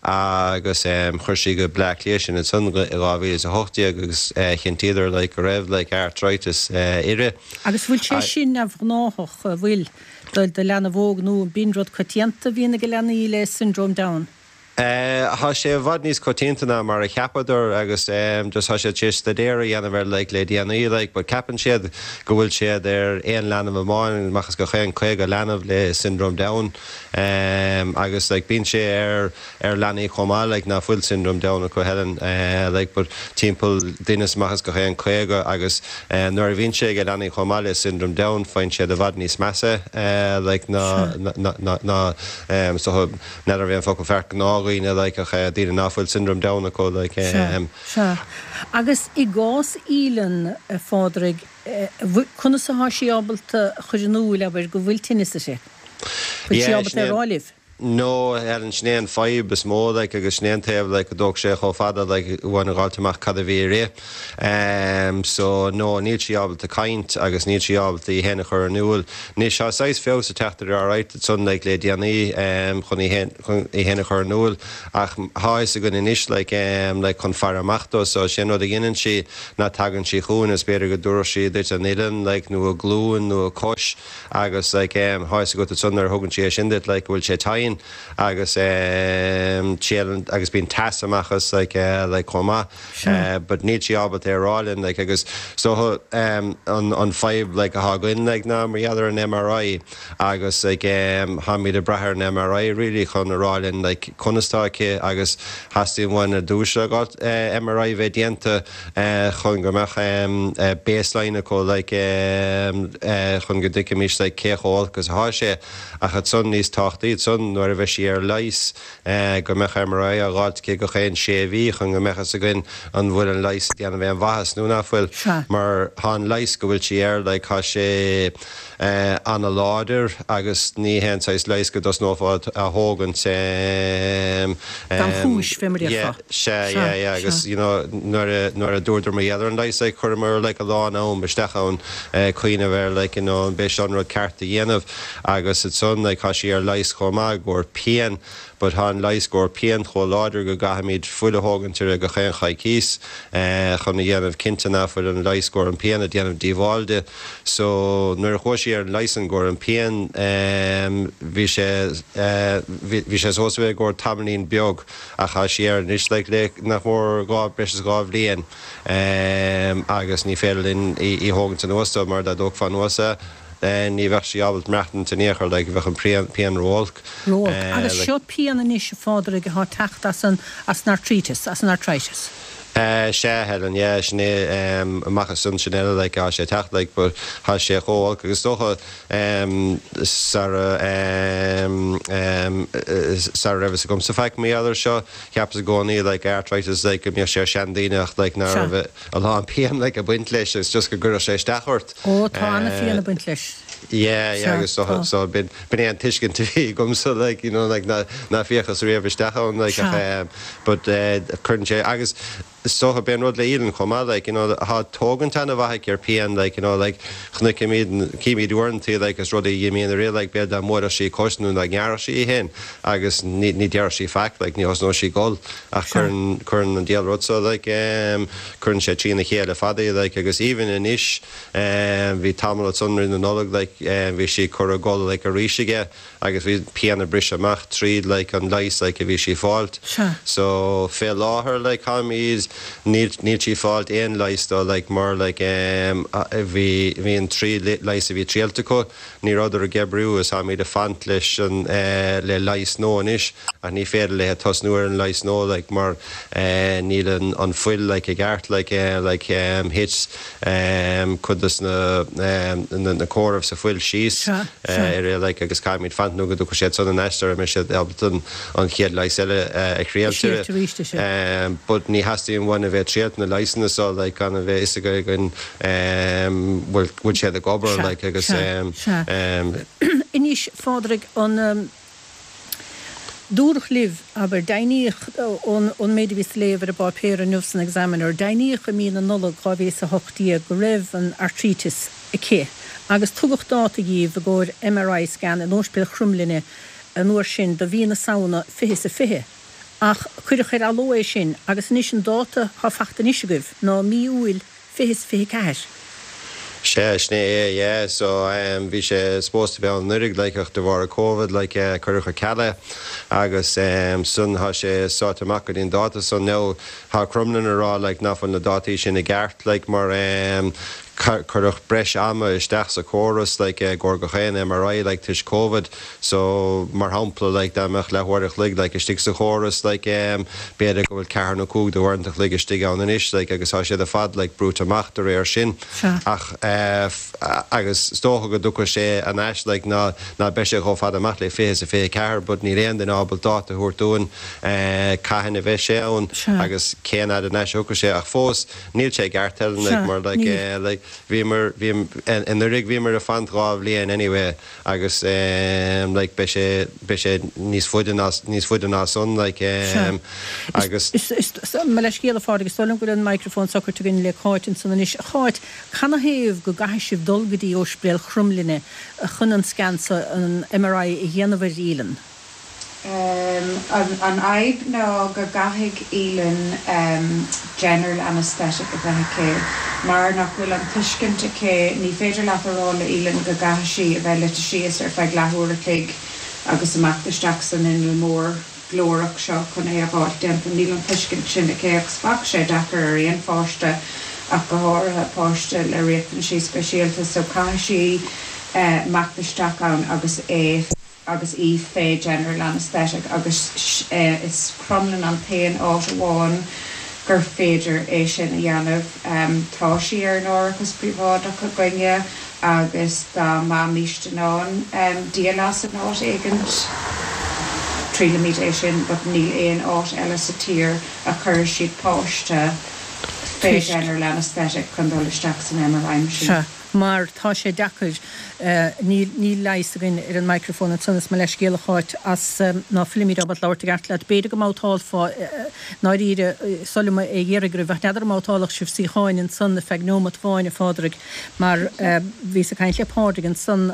agus chuir sí go Bleá Cliath sinn ansan i 2018 agus chinntíodar like go raibh like arthritis uirthi. Agus bhfuil sé sin neamhghnáthach, an bhfuil, do leanbh óg nó b'in rud coitianta a bhíonn ag leanaí le Syndrome Down? Tá sé i bhfad níos coitianta ná mar a cheapadar agus just tá siad tar éis staidéar a dhéanamh air like le déanaí like but ceapann siad go bhfuil siad ar aon leanbh amháin amach as gach aon 50 leanbh le syndrome Down agus like bíonn sé ar ar leanaí chomh maith like ná fuil syndrome Down acu Helen like but timpeall duine amach as gach aon 50 agus nuair a bhíonn sé ag leanaí chomh maith le syndrome Down faigheann siad i bhfad níos measa like ná ná ná so N'fheadar an é an focal ceart gnáthdhaoine like ach daoine ná fuil syndrome Down acu like. Sea, sea. Agus i gcás Aoileann, a Phádraig, conas atá sí ábalta a chur in iúl, abair, go bhfuil tinneas uirthi? Bhfuil sí ábalta é a rá libh? No, Helen, sin é an fadhb is mó like agus sin é an taobh like a dtóg sé chomh fada like uainn a dh'fháilt amach cad a bhí uirthi. Em so no, níl sí ábalta caint agus níl sí ábalta í fhéin a chur in iúl. Anois, tá saghas feabhas ag teacht uirthi alright ansan like le déanaí em chun í fhéin chun í fhéin a chur in iúl ach tá fhios againn anois like em like chun faire amach dó so sé an rud a dheineann sí ná tagann sí chugainn is b'fhéidir go dtabharfadh sí duit an uillinn like nó a glúin nó a cois agus like em tá fhios agat ansan nuair a thugann sí é sin duit like go bhfuil sé tinn. pian agus triaileann agus bíonn teas amach as like like chomh maith but níl sí ábalta é a rá linn like agus so an an fadhb like atá againn like ná mar gheall ar an MRI agus like táimid ag brath ar an MRI really chun a rá linn like conas tá aici agus theastaigh uainn ar dtús MRI a bheith déanta chun go mbeadh baseline acu like chun go dtuigfimis like cé chomh olc is atá sé ach ansan níos tábhachtaí ansan nuair a bheidh sí ar leigheas go mbeadh MRI á dh'fháilt aici gach aon sé mhí chun go mbeadh fhios againn an bhfuil an leigheas ag déanamh aon mhaitheas nó nach bhfuil mar tá an leigheas go bhfuil sí air like tá sé ana-láidir agus ní haon saghas leighis go dtosnófá á thógaint. Gan chúis, fé mar a déarfá. Sea, yeah, yeah, agus you know nuair a, nuair a dúradar mar gheall ar an leigheas like chuireamar like a lán am isteach ann cuimhneamh ar like you know an b'é seo an rud ceart a dhéanamh agus ansan like tá sí ar leigheas chomh maith i gcomhair pian But tá an leigheas i gcomhair pian chomh láidir go gcaithfimid fuil a thógaint uirthi gach aon choicíos chun a dhéanamh cinnte ná fuil an leigheas i gcomhair an pian ag déanamh díobháil di. So nuair a chuaigh sí ar an leigheas i gcomhair an pian bhí sé bhí sé supposed to bheith i gcomhair tamaillín beag ach tá sí air anois like le nach mór dhá breis is dhá bhliain agus ní féidir linn í a thógaint anuas dó mar dá dtógfá anuas é ní bheadh sí ábalta maireachtaint in aon chor, like, bheadh an pian ró-olc. Ró-olc. Agus seo pian anois, a Phádraig, atá ag teacht as an, as an artríteas, as an arthritis. Sea, Helen, yeah, sin é, amach as san, sin eile, like, tá sé ag teacht, like, but tá sé chomh olc agus is dócha, sara, sara raibh fhios agamsa faic mar gheall air seo, cheapas i gcónaí, like, arthritis, like, go mbíodh sé ar seandaoine ach, like, ná raibh a lán pian, like, ag baint leis agus just go gcuirfeadh sé isteach ort. Ó, tá ana-phian ag baint leis. Yeah, yeah, agus so, so b'in, b'in é an tuiscint a bhí agamsa, like, you know, like, ná, ná féachas riamh isteach ann, like, ach, eh, but, eh, cuireann sé, agus is dócha, b'é an rud le Aoileann chomh maith, like, you know, tá tógaint ana-mhaith aici ar pian, like, you know, like, chonaiceamid, címid uaireantaí, like, is rudaí a imíonn uirthi, like, b'fhéidir dá mbuailfeadh sí cos nó dá ngearrfadh sí í féin agus ní, ní déarfadh sí faic, like, ní thosnódh sí ag gol ach cuireann, cuireann an diabhal rud so, like, eh, Cuireann sé trína chéile fada í like agus even anois bhí tamall ansan roimh na Nollag like bhí sí curtha ag gol like arís aige agus bhí pian ag briseadh amach tríd like an leigheas like a bhí sí fáilt. So fé láthair like táimid níl níl sí fáilt aon leigheas dó like mar like bhí bhí an trí leigheas a bhí triailte acu Ní rabhadar ag oibriú is táimid ag fanacht leis an le leigheas nua anois ach ní féidir léithe tosnú ar an leigheas nua like mar níl an an fuil like i gceart like like thit cuid des na na comhairimh sa fuil síos uirthi like agus caithfimid fanacht nó go dtiocfaidh siad san in aiste sara mbeidh siad ábalta an an chéad leigheas eile a thriailt uirthi. But ní theastaíonn uainn a bheith ag triailt na leigheasanna so like gan a bheith fhios againn bhfuil bhfuil siad ag obair like agus Sea, sea. Anois, a Phádraig, an dúradh libh, abair, deimhníodh ón ón méid a bhíos a léamh ar an bpáipéar inniu san Examiner, deimhníodh i mí na Nollag 2018 go raibh an artríteas aici agus tugadh dáta dhíbh i gcomhair MRI scan in Ospidéal Chromghlinne an uair sin do mhí na Samhna 2020. Ach cuireadh ar athló é sin agus anois an dáta atá fachta anois agaibh ná mí Iúil 2024. Sea, sin é é, yeah. So, em, bhí sé supposed to be ann anuraidh, like, ach de bharr an Covid, like, eh, cuireadh ar ceal é. Agus, em, san, tá sé sáite amach go dtí an dáta san. Now, tá Crumlin ag rá, like, nach bhfuil na dátaí sin i gceart, like, mar, em, cuireadh breis ama isteach sa chóras, like, i gcomhair gach aon MRI, like, toisc Covid. So, mar shampla, like, dá mbeadh leathuair a chloig, like, istigh sa chóras, like, em, b'fhéidir go bhfuil ceathair nó cúig de uaireanta a chloig istigh ann anois, like, agus tá siad ar fad, like, brúite amach de réir sin. Sea. Ach, eh, agus is dócha go dtiocfaidh sé anois, like, ná, ná beidh sé chomh fada amach le 20 is a 24, but níl aon duine ábalta dáta a thabhairt dúinn, eh, cathain a bheidh sé ann Sea. agus cén fhad anois a thiocfaidh sé. Ach fós, níl sé i gceart, Helen, like, Sea, mar, like, níl. eh, like, bhíomar, bhí, anuraidh bhíomar ag fanacht dhá bhliain anyway, agus ehm like beidh sé beidh sé níos faide ná níos faide ná san like ehm agus. Is is is mo leithscéal a Phádraig, is dóigh liom go bhfuil an microphone socraithe againn le Cáit ansan anois. A Cháit, canathaobh go gcaithfidh sibh dul go dtí Ospidéal Chromghlinne chun an scan so, an MRI a dhéanamh ar Aoileann? An fhadhb ná go gcaithfidh Aoileann general anaesthetic a bheith aici. Mar nach bhfuil an tuiscint aici, ní féidir leat a rá le Aoileann go gcaithfidh sí a bheith luite síos ar feadh leathuair a chloig. agus imeacht isteach san inneall mór glórach seo chun é a dh'fháilt déanta. Níl an tuiscint sin aici agus bheadh sé deacair ar aon pháiste ach go háirithe páiste le riachtanaisí speisialta so caithfidh sí imeacht isteach ann agus é agus í fé general anaesthetic agus is Crumlin an t-aon áit amháin gur féidir é sin a dhéanamh. Tá sí ar an árachas príobháideach againne agus dá mbeimíst in ann díol as in áit éigint triailfimid é sin but níl aon áit eile sa tír a chuirfidh siad páiste fé general anaesthetic chun dul isteach san MRI machine. Sea. mar tá sé deacair, níl, níl leigheas againn ar an microphone ansan is mo leithscéal a Cháit as ná fuilimid ábalta labhairt i gceart leat. B'fhéidir go mbabhtálfá, i ndáiríre, is oth liom é a iarraidh oraibh ach n'fheadar an mbabhtálfadh sibh suíocháin ansan ar feadh neomat amháin, a Phádraig, mar bhíos ag caint le Pádraig ansan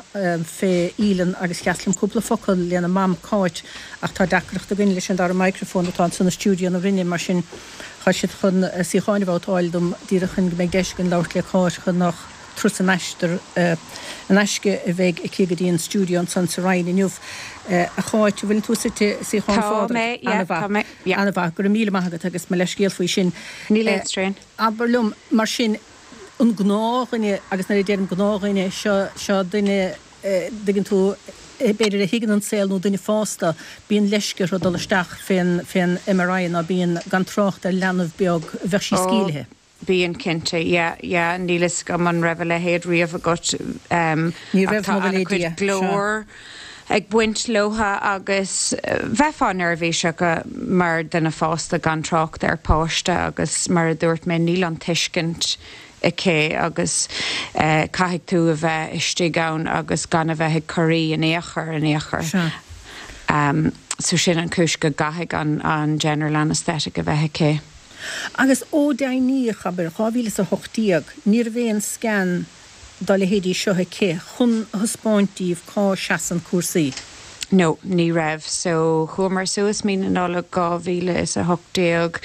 fé Aoileann agus sheas liom cúpla focal lena mam Cáit ach tá deacracht againn leis an dara microphone atá ansan i stiúideo na Rinne mar sin Tá siad chun suíocháin a bhabhtáil dom díreach chun go mbeidh deis againn labhairt le Cáit chun nach turas in aistear in aisce a bheidh aici go dtí an stiúideo ansan sa Rinn inniu. A Cháit, an bhfuileann tú suite i suíochán Tá Phádraig? mé, yeah, tá mé, yeah. Ana-mhaith, go raibh míle maith agat agus mo leithscéal faoi sin. Níl aon strain. Abair liom, mar sin, an gnáthdhuine, agus nuair a deirim gnáthdhuine, seo, seo duine, dtuigeann tú, b'fhéidir a thuigeann an saol nó duine fásta, bíonn leisce orthu dul isteach fén, fén MRI ná bíonn, gan trácht ar leanbh beag, bheadh sí Ó, sceimhlithe. bíonn cinnte, yeah, yeah, níl fhios agam an raibh a leithéid riamh agat, em, Ní ach raibh, tá mo ana-chuid Dia, sea. glór ag baint leotha agus bheifeá neirbhíseach mar duine fásta gan trácht ar páiste agus mar a dúirt mé níl an tuiscint aici agus caithfidh tú a bheith istigh ann agus gan a bheith ag corraí in aon chor, in aon chor. Sea. So sin an chúis go gcaithfidh an an general anaesthetic a bheith aici. Agus ó deimhníodh, abair, 2018, ní raibh aon scan dá leithéidí seo aici chun a thaispeáint díbh cá seasann cúrsaí. No, ní raibh. So, chuamar suas mí na Nollag 2018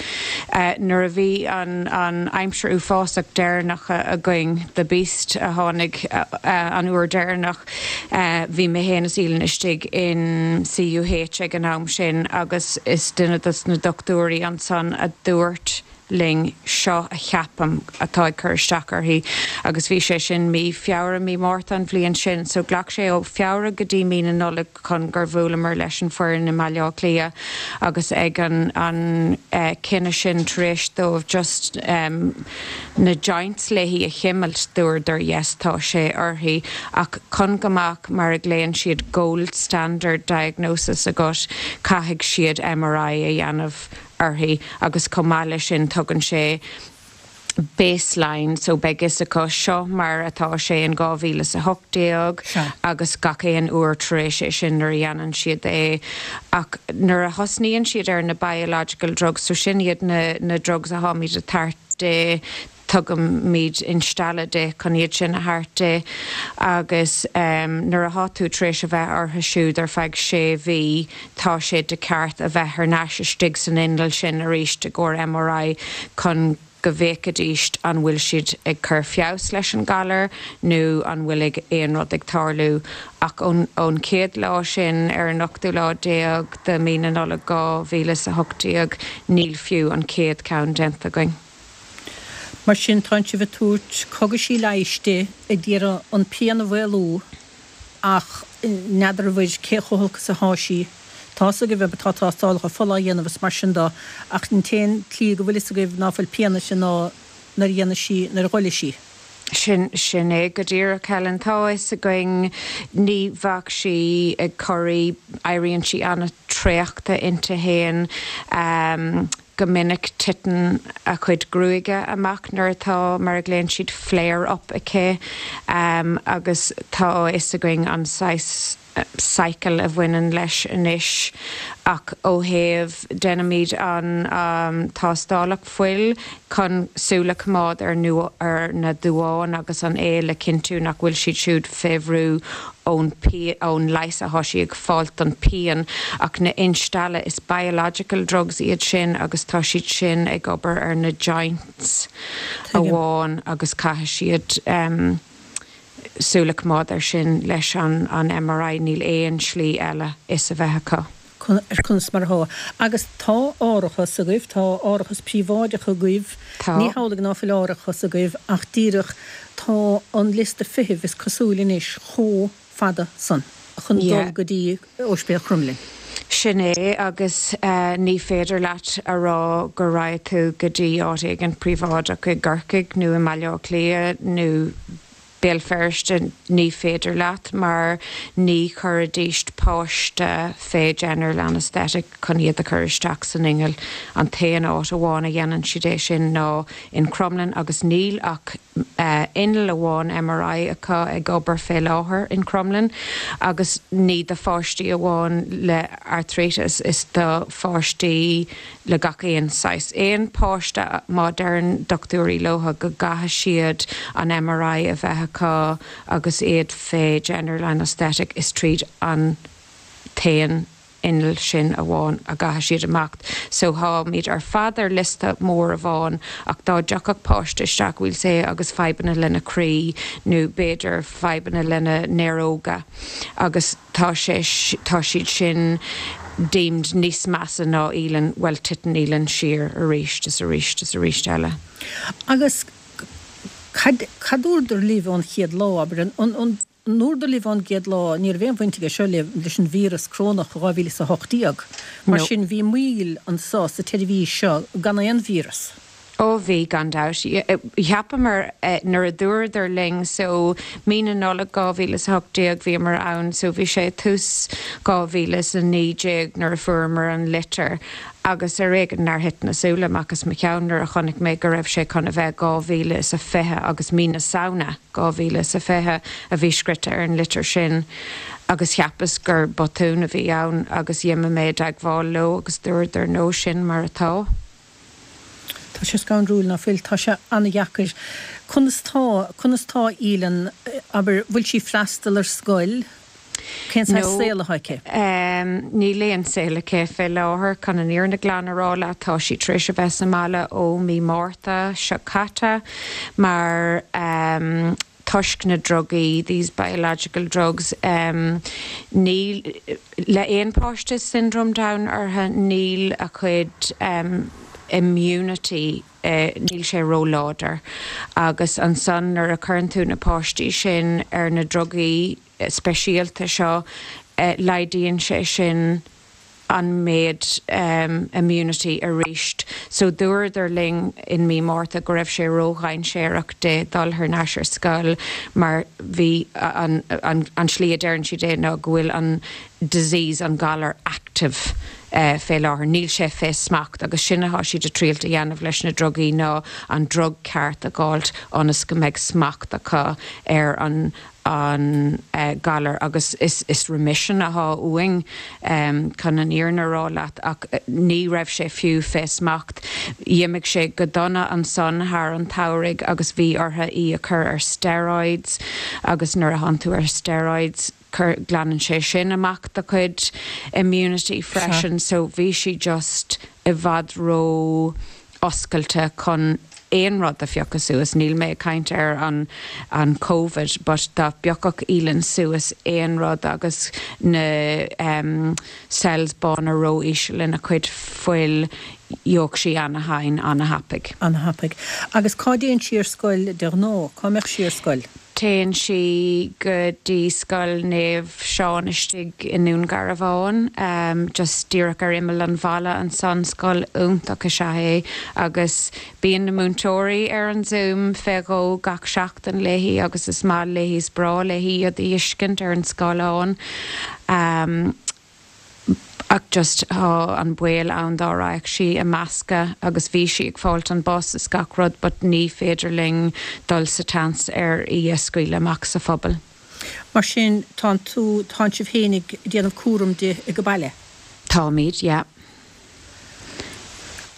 nuair a bhí an an aimsir uafásach deireanach againn, the beast a tháinig an uair deireanach, bhí mé féin is Aoileann istigh in CUH ag an am sin agus is duine dos na dochtúirí ansan a dúirt linn, seo a cheapaim atá ag cur isteach uirthi agus bhí sé sin mí Feabhra, mí Márta an bhliain sin so ghlac sé ó Feabhra go dtí mí na Nollag chun gur bhuaileamar leis an foireann i mBaile Átha Cliath agus ag an an cinneadh sin tar éis dóibh just na joints léi a chimilt dúradar yes tá sé uirthi ach chun go mbeadh mar a ghlaonn siad gold standard diagnosis agat caithfidh siad MRI a dhéanamh uirthi agus chomh maith leis sin tugann sé baseline so beidh fhios acu seo mar atá sé in 2018 agus gach aon uair tar éis é sin nuair a dhéanann siad é ach nuair a thosnaíonn siad ar na biological drugs so sin iad na na drugs atháimid ag tabhairt di Tugaimid instealladh di chun iad sin a thabhairt di agus nuair athá tú tar éis a bheith orthu siúd ar feadh sé mhí tá sé de cheart a bheith thar n-ais istigh san inneall sin arís i gcomhair MRI chun go bhféachfaidíst an bhfuil siad ag cur feabhas leis an galar nó an bhfuil ag aon rud ag tarlú. Ach ón chéad lá sin ar an ochtú lá déag de mí na Nollag 2018 níl fiú an chéad cheann déanta againn. Mar sin, tánn sibh ag tabhairt cogaisí leighis di, ag iarraidh an pian a mhaolú, ach n'fheadar cé chomh holc is athá sí. Tá's agaibh, tá tástálacha fola á dhéanamh is mar sin do, ach an t-aon tslí go bhfuil fhios agaibh ná fuil pian uirthi ná nuair a dhéanfaidh sí, nuair a ghoilfidh sí. Sin, sin é go díreach, Helen. Tá a fhios againn, ní bheadh sí ag corraí, éiríonn sí an-traochta inti fhéin. Go minic titeann a cuid gruaige amach nuair atá, mar a ghlaonn siad, flare up aici agus tá a fhios againn an saghas cycle a bhaineann leis anois ach ó thaobh, déanaimid an tástálacht fuil chun súil a choimeád ar ar na duáin agus an aol le cinntiú nach bhfuil siad siúd fé bhrú ón ón leigheas athá sí ag fáilt don pian ach na instealladh is biological drugs iad sin agus tá siad sin ag obair ar na joints Tuigim. amháin agus caithfidh siad em. súil a choimeád air sin leis an MRI, níl aon slí eile fhios a bheith acu. ar conas mar atá. Agus tá árachas agaibh, tá árachas príobháideach agaibh, Tá. ní hamhlaidh ná fuil árachas agaibh ach díreach tá an liosta feithimh is cosúil anois chomh fada san chun Yeah. dul go dtí Ospidéal Chromghlinn. Sin é agus ní féidir leat a rá go raghaidh tú go dtí áit éigin príobháideach i gCorcaigh nó i mBaile Átha Cliath nó Béal Feirste, ní féidir leat mar ní chuirfidíst páiste fé general anaesthetic chun iad a chur isteach san inneall. An t-aon áit amháin a dhéanann siad é sin ná in Crumlin agus níl ach inneall amháin MRI acu ag obair fé láthair in Crumlin agus ní do pháistí amháin le arthritis, is do pháistí le gach aon saghas. Aon páiste má deireann dochtúirí leotha go gcaithfidh siad an MRI a bheith acu agus iad fé general anaesthetic is tríd an t-aon inneall sin amháin a gcaithfidh siad imeacht. So táimid ar fad ar liosta mór amháin ach dá dtiocfadh páiste isteach we'll say agus fadhbanna lena croí nó b'fhéidir fadhbanna lena néaróga agus tá sé, tá siad sin deemed níos measa ná Aoileann, bhuel titeann Aoileann siar arís is arís is arís eile. Agus cad, cad dúradar libh ón chéad lá, abair, an, an, an ndúradar libh ón gcéad lá, ní raibh aon bhaint aige seo le, leis an víreas corónach 2018, mar No. sin bhí moill anso sa tseirbhís seo gan aon víreas. Ó bhí, gan dabht. Cheapamar nuair a dúradar linn so mí na Nollag 2018 bhíomar ann so bhí sé tús 2019 nuair a fuaireamar an litir agus ar éigean nár thit na súile amach as mo cheann nuair a chonaic mé go raibh sé chun a bheith 2020 agus mí na Samhna 2020 a bhí scrite ar an litir sin agus cheapas gur botún a bhí ann agus d'imigh mé i dteagmháil leo agus dúradar no sin mar atá. Tá sé scanrúil, ná fuil? Tá sé an-dheacair. Conas tá, conas tá Aoileann, abair, bhfuil sí freastal ar scoil? Cén saghas No. saol atá aici? Níl aon saol aici fé láthair, chun an fhírinne glan a rá leat. Tá sí tar éis a bheith sa mbaile ó mí Márta seo caite mar toisc na drugaí, these biological drugs, níl, le aon páiste syndrome Down orthu, níl a chuid immunity, níl sé ró-láidir. Agus ansan nuair a chuireann tú na páistí sin ar na drugaí speisialta seo, laghdaíonn sé sin an méid immunity arís. So dúradar linn in mí Márta go raibh sé ró-dhainséarach di dul thar n-ais ar scoil mar bhí an an slí a deireann siad é ná go bhfuil an disease, an galar active fé láthair. Níl sé fé smacht agus sin atá siad ag triailt a dhéanamh leis na drugaí ná an drug ceart a dh'fháilt ionas go mbeidh smacht acu ar an an galar agus is remission athá uainn chun an fhírinne a rá leat ach ní raibh sé fiú fé smacht. Dh'imigh sé go dona ansan thar an tsamhraidh agus bhí orthu í a chur ar steroids agus nuair a thánn tú ar steroids glanann sé sin amach do chuid immunity freisin so bhí sí just i bhfad ró oscailte chun aon rud a phiocadh suas, níl mé ag caint ar an an Covid but dá bpiocfadh Aoileann suas aon rud agus na em cells bána ró-íseal ina cuid fuil, gheobhadh sí ana-thinn ana-thapaidh. Ana-thapaidh. Agus cá dtéann sí ar scoil de ghnáth? Cá mbeadh sí ar scoil? Téann sí go dtí Scoil Naomh Seán istigh i nDún Garbhán, just díreach ar imeall an bhaile ansan. Scoil iontach is ea é agus bíonn na múinteoirí ar an Zoom fé dhó gach seachtain léi agus is maith léi, is breá léi iad a fheiscint ar an scáileán. Ach just tá an baol ann dá raghadh sí i meascadh agus bhí sí ag fáilt an bus is gach rud but ní féidir linn dul sa tseans ar í a scaoileadh amach sa phobal. Mar sin tánn tú, tánn sibh féin ag déanamh cúram di ag an baile? Táimid, yeah.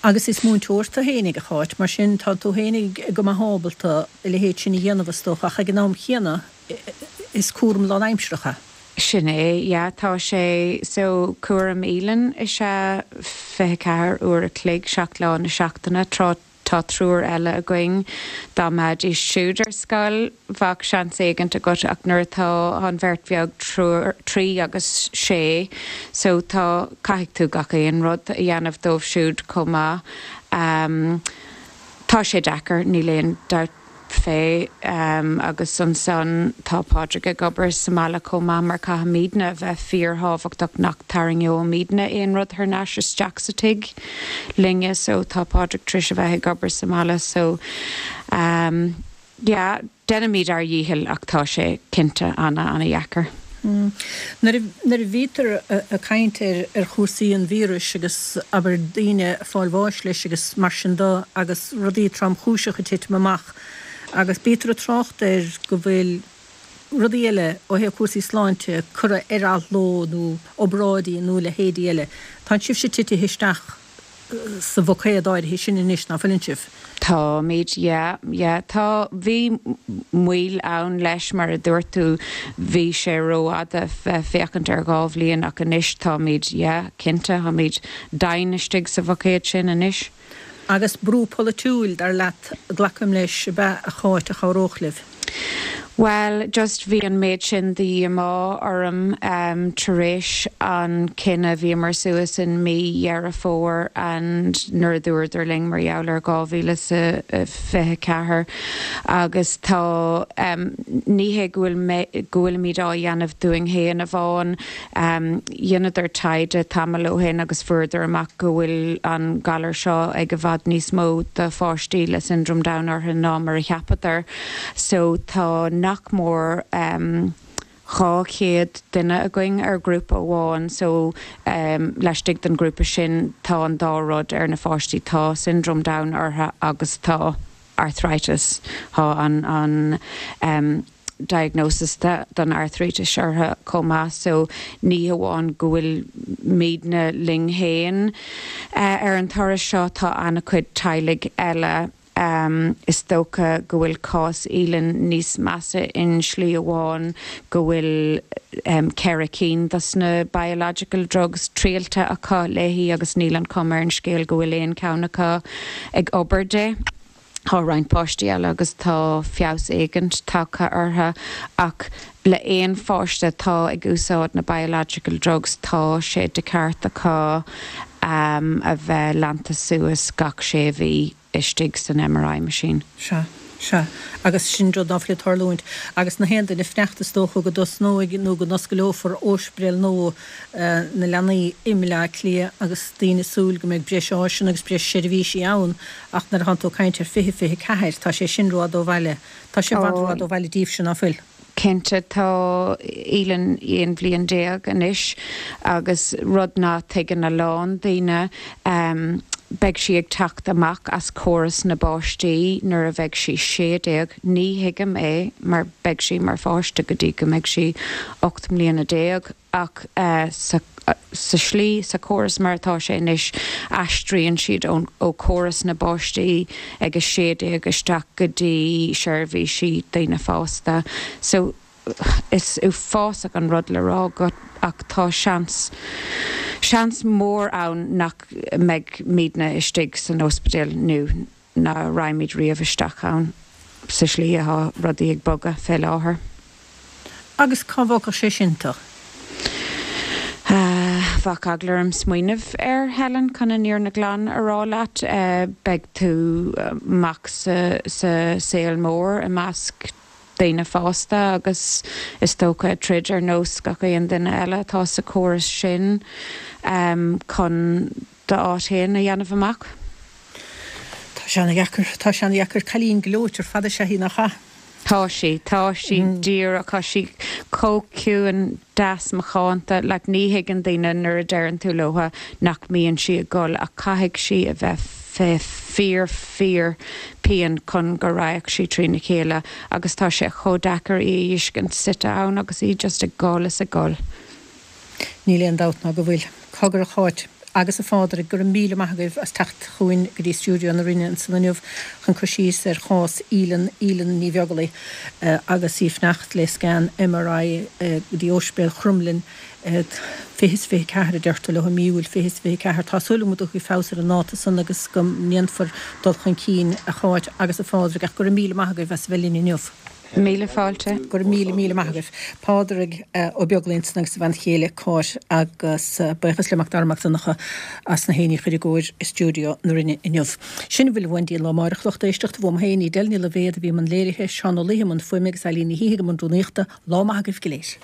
Agus is múinteoir tú fhéinig, a Cháit, mar sin tá tú fhéinig go maith ábalta a leithéid sin a dhéanamh is dócha ach ag an am chéanna is cúram lánaimsearach é. Sin é, yeah, tá sé, so cúram Aoileann is ea 24 uair a chloig, 7 lá na seachtaine, tráth. Tá triúr eile againn. Dá mbeidís siúd ar scoil, bheadh seans éigint agat ach nuair atá an bheirt bheag 3 agus 6 so tá, caithfidh tú gach aon rud a dhéanamh dóibh siúd chomh maith. Tá sé deacair, níl aon dabht fé agus ansan tá Pádraig ag obair sa mbaile chomh maith mar caithfimídne a bheith fíorthábhachtach nach tarraingeoimídne aon rud thar n-ais isteach sa tigh linne so tá Pádraig tar éis a bheith ag obair sa mbaile so yeah déanaimíd ár dhícheall ach tá sé cinnte ana ana dheacair. Nuair a bhítear ag caint ar chúrsaí an víris agus, abair, daoine ag fáil bháis leis agus mar sin de agus rudaí tromchúiseacha ag titim amach agus bítear ag trácht air go bhfuil rudaí eile ó thaobh cúrsaí sláinte curtha ar athló nó obráidí nó a leithéidí eile. Tá sibhse titithe isteach sa bhuicéad áirithe sin anois, ná fuileann sibh? Táimid, yeah, yeah. Tá, bhí moill ann leis, mar a dúirt tú, bhí sé rófhada bheith féachaint ar dhá bhliain ach anois táimid, yeah, cinnte, táimid domhain istigh sa bhuicéad sin anois. Agus brú polaitiúil, dar leat, glacaim leis, ab ea, a Cháit, a chabhródh libh? Bhuel, just bhí an méid sin de dhíomá orm tar éis an cinneadh, bhíomar suas in mí Dheireadh Fómhair and nuair a dúradar linn mar gheall ar 2024 agus tá, ní hé go bhfuil mé, go bhfuilimid á dhéanamh dúinn féin amháin, Dheineadar taighde tamall ó shin agus fuaireadar amach go bhfuil an galar seo ag i bhfad níos mó de pháistí le Syndrome Down orthu ná mar a cheapadar. So tá nach mór 200 duine againn ar ghrúpa amháin so laistigh den ghrúpa sin tá an dá rud ar na pháistí, tá Syndrome Down orthu agus tá arthritis, tá an an diagnosis don arthritis orthu chomh maith so ní hamháin go bhfuil muidne linn féin ar an turas seo, tá an-chuid teaghlaigh eile. Is dócha go bhfuil cás Aoileann níos measa in slí amháin go bhfuil 4 cinn dos na biological drugs triailte acu léi agus níl an chuma ar an scéal go bhfuil aon cheann acu ag obair di. Tá roinnt páistí eile agus tá feabhas éigint tagtha orthu ach le aon pháiste atá ag úsáid na biological drugs tá sé de cheart acu a bheith leanta suas gach sé mhí istigh san MRI machine. Sea. Sea. Agus sin rud ná fuil ag tarlúint. Agus na haon duine ag fanacht is dócha go dtosnóidh nó go n-oscaileofar Ospidéal nua na Leanaí i mBaile Átha Cliath agus daoine ag súil go mbeidh breis áiseanna agus breis seirbhísí ann ach nuair atánn tú ag caint ar 2024 tá sé sin rófhada ó bhaile. Tá sé i bhfad rófhada ó bhaile daoibhse, ná fuil? Cinnte, tá Aoileann 11 bhliain anois agus rud ná tuigeann a lán daoine, beidh sí ag teacht amach as córas na bpáistí nuair a bheidh sí 16. Ní thuigim é mar beidh sí mar pháiste go dtí go mbeidh sí 18 mbliana ach sa sa slí, sa chóras mar atá sé anois, aistríonn siad ón ó chóras na bpáistí ag 16 isteach go dtí seirbhísí daoine fásta. So is uafásach an rud le rá go ach tá seans, seans mór ann nach mbeidh muidne istigh san ospidéal nó ná raghaimid riamh isteach ann sa slí atá rudaí ag bogadh fé láthair. Agus cá bhfágfadh sé sin tú? Bheadh eagla orm smaoineamh air, Helen, chun an fhírinne ghlan a rá leat. Beidh tú amach sa saol mór i measc daoine fásta agus is dócha ag troid ar nós gach aon duine eile atá sa chóras sin chun d'áit féin a dhéanamh amach. Tá sé ana-dheacair, tá sé ana-dheacair. Cailín gleoite ar fad is ea í, nach ea? Tá sí, tá sí díreach, tá sí chomh ciúin, deas, macánta, like ní thuigeann daoine nuair a deireann tú leotha nach mbíonn sí ag gol ach caithfidh sí a bheith fé fíor fíor pian chun go raghadh sí trína chéile agus tá sé chomh deacair í a fheiscint suite ann agus í just ag gol is ag gol. Níl aon dabht ná go bhfuil. Cogar a Cháit. agus a Phádraig, go raibh míle maith agaibh as teacht chugainn go dtí stiúideo na Rinne ansan inniu chun cur síos ar chás Aoileann, Aoileann Ní Bheaglaoich, agus í ag fanacht le scan MRI go dtí Ospidéal Chromghlinn 2024 a deirtear leo, i mí Iúil 2024. Tá súil agam go dtiocfaidh feabhas ar an ndáta san agus go ndéanfar dul chun cinn, a Cháit agus a Phádraig, ach go raibh míle maith agaibh as a bheith linn inniu. Míle fáilte. Go raibh míle, míle maith agaibh. Pádraig Ó Beaglaoich ansan agus a bhean chéile Cáit agus buíochas le Mac Dara Mac Donncha as na héinní a chur i gcóir i stiúideo na Rinne inniu. Sin a bhfuil uainn go dtí an lá amárach, lucht éisteachta, uaim féin, Edel Ní Loibhéad a bhí i mbun léirithe, Seán Ó Laoithe i mbun fuaime agus Eileen Ní hÍthigh i mbun rúnaíochta. Lá maith agaibh go léir.